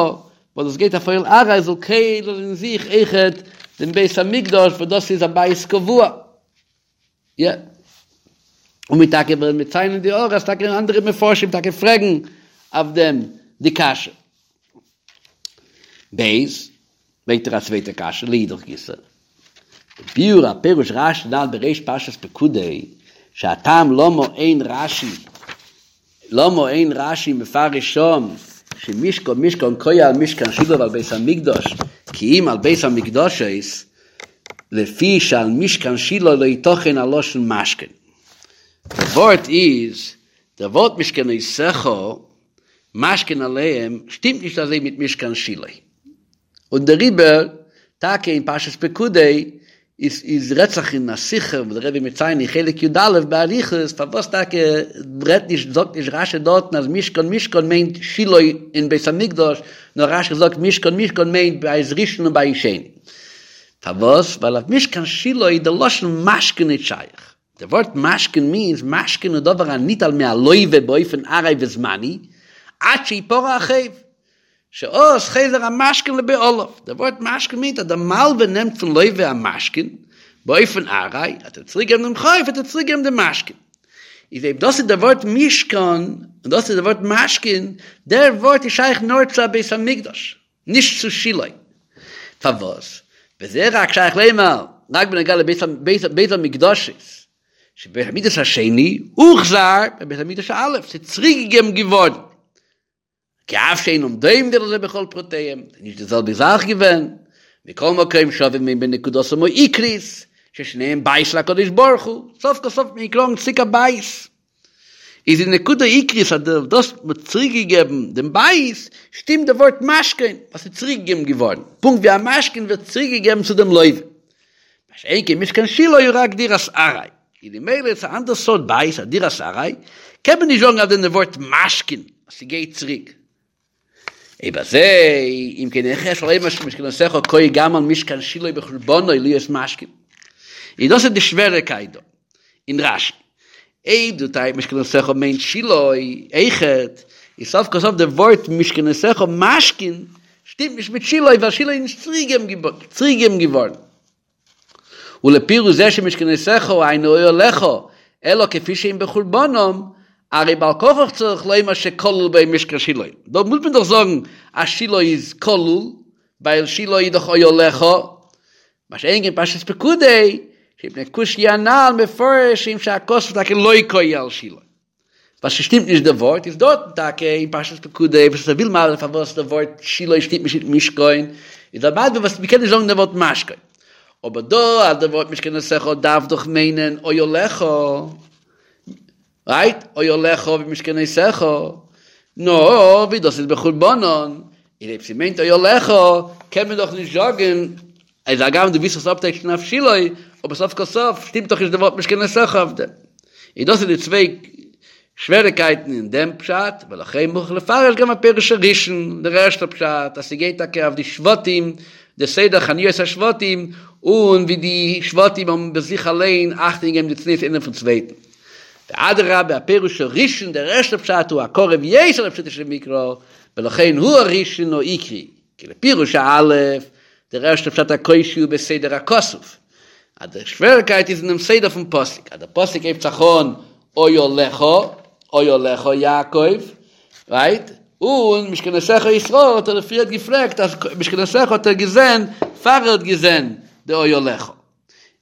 וואס דאס גייט אויף אוהל עראי זאל כולל אין זיך אויכעט דעם בית המקדש וואס דאס איז א בית קבוע. יא. און מיר טאקע וועלן מציין אין די הערה אז טאקע אנדערע מפרשים טאקע פרעגן אויף דעם די קשיא. ב. ברענגט ער א צווייטע קשיא לאידך גיסא. ביאור הפירוש רשי נ"ל בריש פרשת פקודי שהטעם למה אין רשי למה אין רשי מפרש שם שמשכן משכן קאי על משכן שילה ועל בית המקדש כי אם על בית המקדשות לפי שעל משכן שילה לא יתכן הלשון משכן. די ווארט איז, דער ווארט משכנותיך משכן עליהם שטימט נישט אזוי מיט משכן שילה. און דעריבער טאקע אין פרשת פקודי איז איז רעדט זיך אין א שיחה וואס דער רבי מציין אין חלק י א באריכות פארוואס טאקע רעדט נישט זאגט נישט רשי דארטן אז משכן משכן מיינט שילה און בית המקדש נאר רשי זאגט משכן משכן מיינט בית ראשון און בית שני פארוואס ווייל אויף משכן שילה איז די לשון משכן נישט שייך די ווארט משכון מיינס משכון הוא דבר הניטל מהלווה באופן ארעי וזמני עד שיפרע החוב שאז חוזר המשכון לבעליו, די ווארט משכון מיינט אז דער מלווה נעמט פון לווה א משכון באופן ארעי, וועט ער צוריק געבן דעם חוב וועט ער צוריק געבן דעם משכון. איז אויב דאס איז דער ווארט משכון און דאס איז דער ווארט משכון, דער ווארט איז שייך נאר צו א בית המקדש, נישט צו שילה. פארוואס? וזה רק שייך לומר רק בנוגע לבית המקדשות, שבית המקדש השני הוחזר בבית המקדש הא', ס'איז צוריקגעגעבן געווארן. כי אף שאינם דומים זה לזה בכל פרטיהם, ס'איז נישט די זעלבע זאך געווען, מכל מקום שווים הם בנקודתם העיקרית, ששניהם בית להקדוש ברוך הוא, סוף כל סוף מיר קראגן צוריק א בית. איז די נקודה עיקרית אז דאס מ'האט צוריק געגעבן דעם בית, שטימט די ווארט משכון וואס איז צוריק געגעבן געווארן, פונקט ווי א משכון ווערט צוריק געגעבן צו דעם לווה. מה שאין כן משכן שילה הוא רק דירת עראי, איז ממילא איז א אנדער סארט בית א דירת עראי, קען מען נישט זאגן אויף דעם די ווארט משכון אז ס'גייט צוריק. אויב אזוי, אם כן איך אפשר לומר שמשכנותיך קאי גם על משכן שילה בחורבנו להיות משכון. און דאס איז די שוועריקייט דא אין רשי. אויב דו טייטשט משכנותיך מיינט שילה אויכעט, איז סוף כל סוף די ווארט משכנותיך משכון שטימט נישט מיט שילה ווייל שילה איז נישט צוריקגעגעבן געווארן. ולפירוש זה שמשכנותיך היינו אוהליך אלא כפי שהם בחורבנם, הרי בעל כרחך צריך לומר שכלול בהם משכן שילה. דא מוז מען דאך זאגן אז שילה איז כלול, ווייל שילה איז דאך אוהליך, מה שאין כן פרשת פקודי. שמפני קושיא הנ"ל מפרשים שהכתוב טאקע לא קאי על שילה. ווייל ס'שטימט נישט די ווארט, איז דארטן טאקע אין פרשת פקודי וואס ער וויל מסביר פארוואס די ווארט שילה שטימט נישט מיט משכון, איז ער מסביר וואס מ'קען נישט זאגן די ווארט משכון. אבער דא אז די ווארט משכנותיך דארף דאך מיינען אוהליך, רייט? אוהליך ומשכנותיך, נאר ווי דאס איז בחורבנן, איז אויב ס'מיינט אוהליך קען מען דאך נישט זאגן אז הגם דו ווילסט עס אפטייטשן אויף שילה, אבער סוף כל סוף שטימט דאך נישט די ווארט משכנותיך אויף דעם. און דאס איז די צוויי שוועריקייטן אין דעם פשט, ולכן מוכרח לפרש גם הפירוש הראשון, דער ערשטער פשט, אז ס'גייט טאקע אויף די שבטים, די סדר חניות השבטים, און ווי די שבטים האבן ביי זיך אליין אכטונג געגעבן די צניעות איינער פון צווייטן. ואדרבה הפירוש הראשון, דער ערשטער פשט הוא הקרוב יותר לפשוטו של מקרא, ולכן הוא הראשון העיקרי, כי לפירוש הא', דער ערשטער פשט הקושי הוא בסדר הכתוב, אז די שוועריקייט איז אינעם סדר פון פסוק, אז דער פסוק הייבט זיך אן אוהליך, אוהליך יעקב, רייט? און משכנותיך ישראל האט ער פריערט געפרעגט אז משכנותיך האט ער געזען פאר ער האט געזען די אוהליך.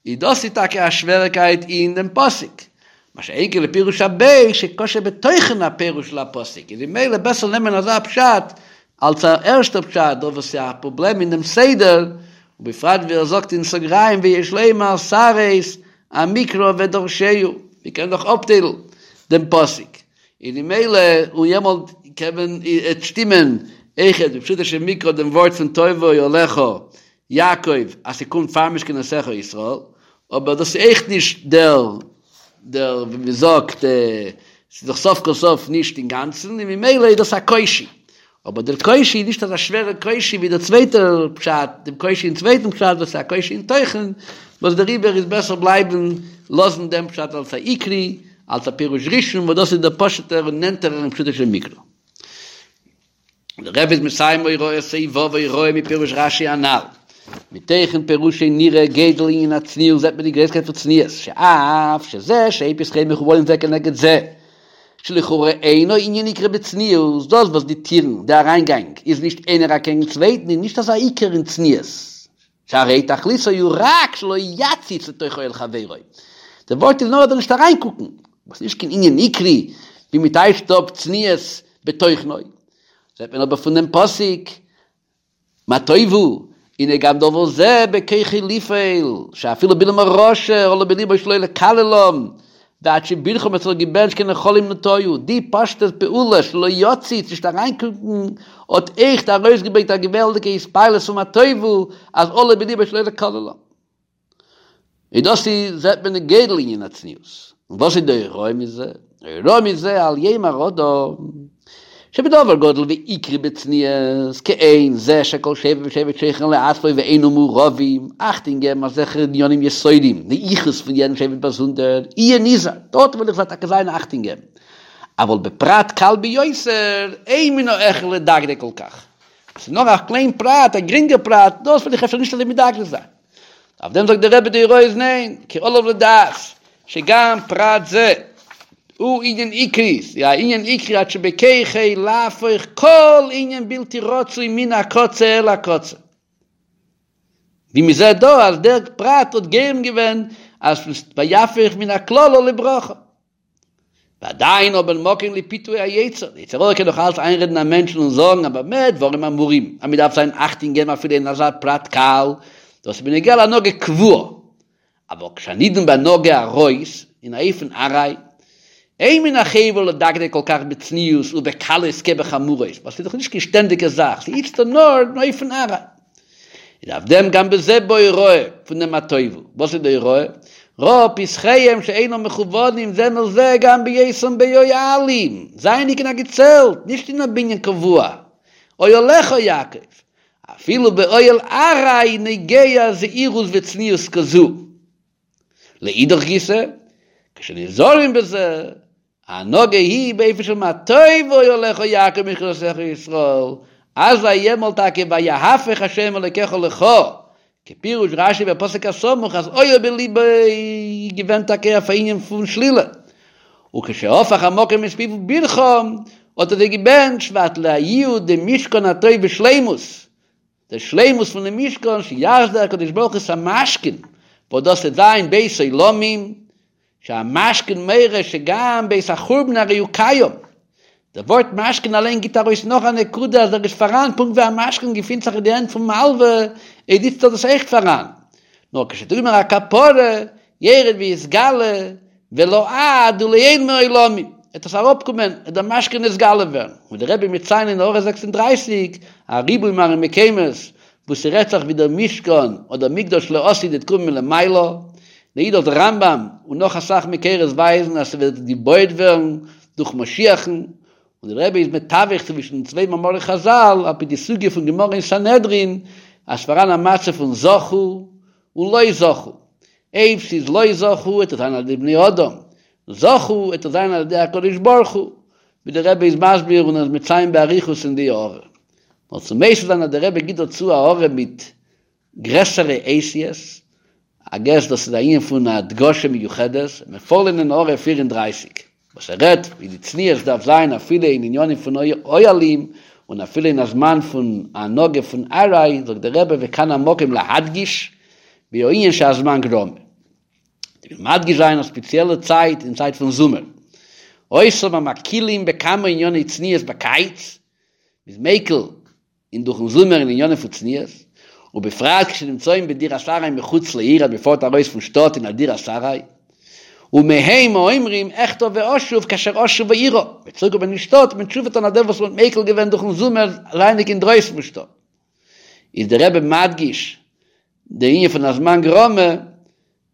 איז דאס איז טאקע א שוועריקייט אין דעם פסוק, מה שאין כן לפירוש הב' שקשה בתוכן הפירוש לפסוק, איז ממילא בעסער נעמען אזא פשט אלס א ערשטער פשט, דא וואס איז א פראבלעם אין דעם סדר, ובפרט ווי ער זאגט אין סוגריים ויש לומר סריס המקרא ודורשהו, מען קען דאך אפטיילן דעם פסוק, און ממילא און יעמאלט קען מען עס שטימען אויכעט בפשוטו של מקרא דעם ווארט פון טוב אוהליך יעקב אז ס'קומט פאר משכנותיך ישראל, אבער דאס איז אויך נישט דער דער ווי מ'זאגט, ס'איז דאך סוף כל סוף נישט אינגאנצן און ממילא איז דאס א קושי, אבער דער קושי איז נישט אזא שווערער קושי ווי דער צווייטער פשט, דעם קושי אין צווייטן פשט וואס איז א קושי אין תוכן, וואס דעריבער איז בעסער בלייבן לאזן דעם פשט אלס א עיקרי, אלס א פירוש ראשון וואס דאס איז דער פשוט'ער און נענטערער אין פשוטו של מקרא. דער רבי איז מסיים הוראה סעיף ו' הוראה מפירוש רש"י הנ"ל. מתוכן פירושו נראה גודל ענין הצניעות זעט מען די גרויסקייט פון צניעות, שאף שזה שאין פתחיהם מכוונים זה כנגד זה, שלכאורה אינו ענין עיקרי בצניעות, דאס וואס די טירן, די אריינגאנג, איז נישט איינער אקעגן צווייטן איז נישט אזא עיקר אין צניעות, שהרי תכליתו הוא רק שלא יציץ לתוך אוהל חברו, די ווארט איז נאר ער זאל נישט אריינקוקן, וואס נישט קיין ענין עיקרי ווי מען טייטשט אפ צניעות בתוכנו, זעט מען אבער פון דעם פסוק מה טובו, הנה גם דבר זה בכוחו לפעול, שאפילו בלעם הרשע עלה בלבו שלא לקללם, ועד שבירכם האט זיך געבענטשט כנחלים נטויו, די פשוטע פעולה שלא יציץ, נישט אריינקוקן, האט עכט ארויסגעברענגט א געוואלדיגע התפעלות פון מה טובו, אז עלה בלבו שלא לקללם. און דאס איז זעט מען די גודל ענין הצניעות. און וואס איז די הוראה מזה? די הוראה מזה אל יאמר אדם שבדבר גדול ועיקרי בצניעות, כעין זה שכל שבט ושבט שוכן לעצמו ואינם מעורבים, אכטונג געבן אזעלכע עניינים יסודיים, די יחוס פון יעדן שבט באזונדער, יהיה נזהר, דארט וויל איך זיי טאקע זיין אכטונג געבן, אבל בפרט קל ביותר, אין מן ההכרח לדקדק כל כך. עס איז נאר א קליין פרט, א גרינגער פרט, דאס וויל איך אפשר נישט אזוי מדקדק זיין. אויף דעם זאגט דער רבי די הוראה איז ניין, כי עליו לדעת שגם פרט זה הוא ענין עיקרי, ס'איז א ענין עיקרי עד שבכוחו להפוך כל ענין בלתי רצוי מן הקצה אל הקצה. ווי מ'זעט דא אז דער פרט האט גורם געווען אז ויהפוך מן הקללה לברכה. ועדיין אבער מקום לפיתוי היצר, די יצר הרע קען נאך אלץ איינרעדן א מענטשן און זאגן אז במה דברים אמורים, אז מען דארף זיין אכטונג געבן אפילו אין אזא פרט קל, דאס איז בנוגע להנהגה קבועה, אבל כשהנידון בהנהגה עראית, אין א אופן ארעי, אין מן החובה לדקדק כל כך בצניעות ובקלות כבחמורות, ווייל ס'איז דאך נישט קיין שטענדיגע זאך, ס'איז איצטער נאר אין אופן ארעי. איז אויף דעם גם בזה בא הוראה פון דעם מה טובו, וואס איז די הוראה? ראה פתחיהם שאינם מכוונים זה מול זה גם בהיותם באוהלים, זייענדיג אין א געצעלט, נישט אין א בנין קבוע, אוהליך יעקב, אפילו באוהל ארעי נוגע זהירות וצניעות כזו. לאידך גיסא, כשנזהרים בזה, ההנהגה היא באופן של מה טובו אוהליך יעקב משכנותיך ישראל, אזי יעמאלט טאקע ויהפך ה' אלוקיך לך, כפירוש רשי בפסוק הסמוך אז היה בלבו איז געווען טאקע אויף א ענין פון שלילה, וכשהפך המקום את פיו וברכם האט ער זיי געבענטשט ואת לייעוד דמשכן הטוב בשלימות, דער שלימות פונעם משכן שיחזיר הקדוש ברוך הוא את המשכן. וואס דאס וועט זיין בית עולמים, שהמשכן מורה שגם בעת החורבן הרי הוא קיים, דער ווארט משכן אליין גיט ארויס נאך א נקודה אז ער איז פאראן, פונקט ווי א משכון געפינט זיך אין די הענט פון מלווה, איז איצטער דאס אויכט פאראן, נאר כשתגמר הכפרה ירד ויתגלה ולעד ולעולמי עולמים, וועט עס אראפקומען, וועט דער משכן נתגלה ווערן, און דער רבי מציין אין הערה 36 א ריבוי מראה מקומות וואו ס'רעדט זיך ווי דער משכן אדער מקדש לעתיד וועט קומען מלמעלה, לאידך דער רמב"ם און נאך אסאך מקורות ווייזן אז ס'וועט געבויעט ווערן דורך משיח'ן, און דער רבי איז מתווך צווישן די צוויי מאמרי חז"ל על פי די סוגיא פון גמרא אין סנהדרין אז ס'פאראן א מצב פון זכו און לא זכו, אויב ס'איז לא זכו וועט עס זיין על ידי בני אדם, זכו וועט עס זיין על ידי הקדוש ברוך הוא, ווי דער רבי איז מסביר און איז מציין באריכות אין די הערה. נאר צו מוסיף זיין אז דער רבי גיט דערצו א הערה מיט גרעסערע אותיות, איי געס דאס איז א ענין פון הדגשה מיוחדת, מיר פארליינען הערה 34, וואס ער רעדט ווי די צניעות דארף זיין אפילו אין עניינים פון אוהלים, און אפילו אין א זמן פון הנהגה פון עראי, זאגט דער רבי וכאן המקום להדגיש בענין שהזמן גרמא. איך וויל מדגיש זיין א ספעציעלע צייט אין צייט פון זומער, אותם המקילים בכמה ענייני צניעות בקיץ, מ'איז מיקל אין דורכן זומער אין עניינים פון צניעות, ובפרט כשנמצאים בדירת עראי מחוץ לעיר אז מ'פארט ארויס פון שטאט אין א דירת עראי, ומהם האומרים אחטא ואשוב כאשר אשוב העירה, מ'וועט צוריקקומען אין שטאט מען תשובה טון אויף דעם וואס מ'האט מיקל געווען דורכן זומער זייענדיג אינדרויסן פון שטאט. איז דער רבי מדגיש די ענין פון הזמן גרמא,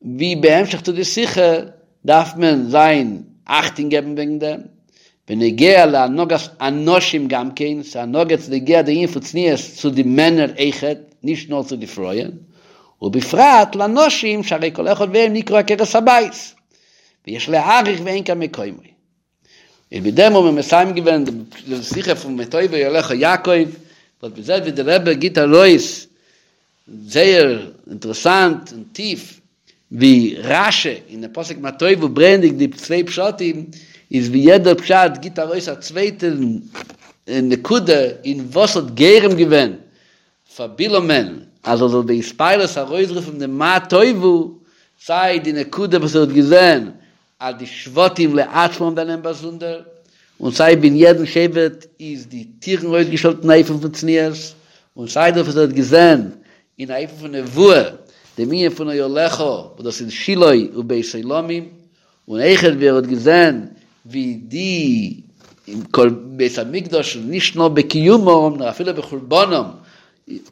ווי בהמשך צו די שיחה דארף מען זיין אכטונג געבן וועגן דעם, בנוגע להנהגת הנשים גם כן, ס'איז נוגע צו נוגע די ענין פון צניעות צו די מענער אויכעט, נישט נאר צו די פרויען, ובפרט לנשים שהרי כל אחד מהם נקרא עקרת הבית, ויש להאריך ואין כאן מקומו. און מיט דעם האבן מיר מסיים געווען די שיחה פון מה טובו אוהליך יעקב, וואס מען זעט ווי דער רבי גיט ארויס זייער אינטערעסאנט און טיף ווי רש"י אין דעם פסוק מה טובו ברענגענדיג די צוויי פשטים, איז ווי יעדער פשט גיט ארויס א צווייטע נקודה אין וואס האט גורם געווען פאר בלעמ'ען אז ער זאל בהתפעלות ארויסרופן דעם מה טובו, סיי די נקודה וואס ער האט געזען אז די שבטים לעצמם זענען באזונדער, און סיי ווי אין יעדן שבט איז די טירן אויסגעשטעלט אין אופן פון צניעות, און סיי דאס וואס ער האט געזען אין א אופן פון נבואה, דעם ענין פון אוהליך, וואס דאס איז שילה ובית עולמים, און אויכעט ווי ער האט געזען ווי די בית המקדש נישט נאר בקיומם נאר אפילו בחורבנם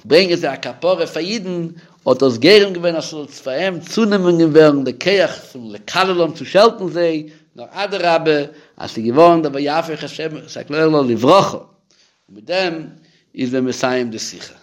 ברענגען זיי א כפרה פאר אידן, האט דאס גורם געווען אז ס'זאל פאר אים צונעמען ווערן די כח פון לקללם צו שעלטן זיי, נאר אדרבה אז ס'איז געווארן דער ויהפך ה' את הקללה לברכה, און מיט דעם איז מען מסיים די שיחה.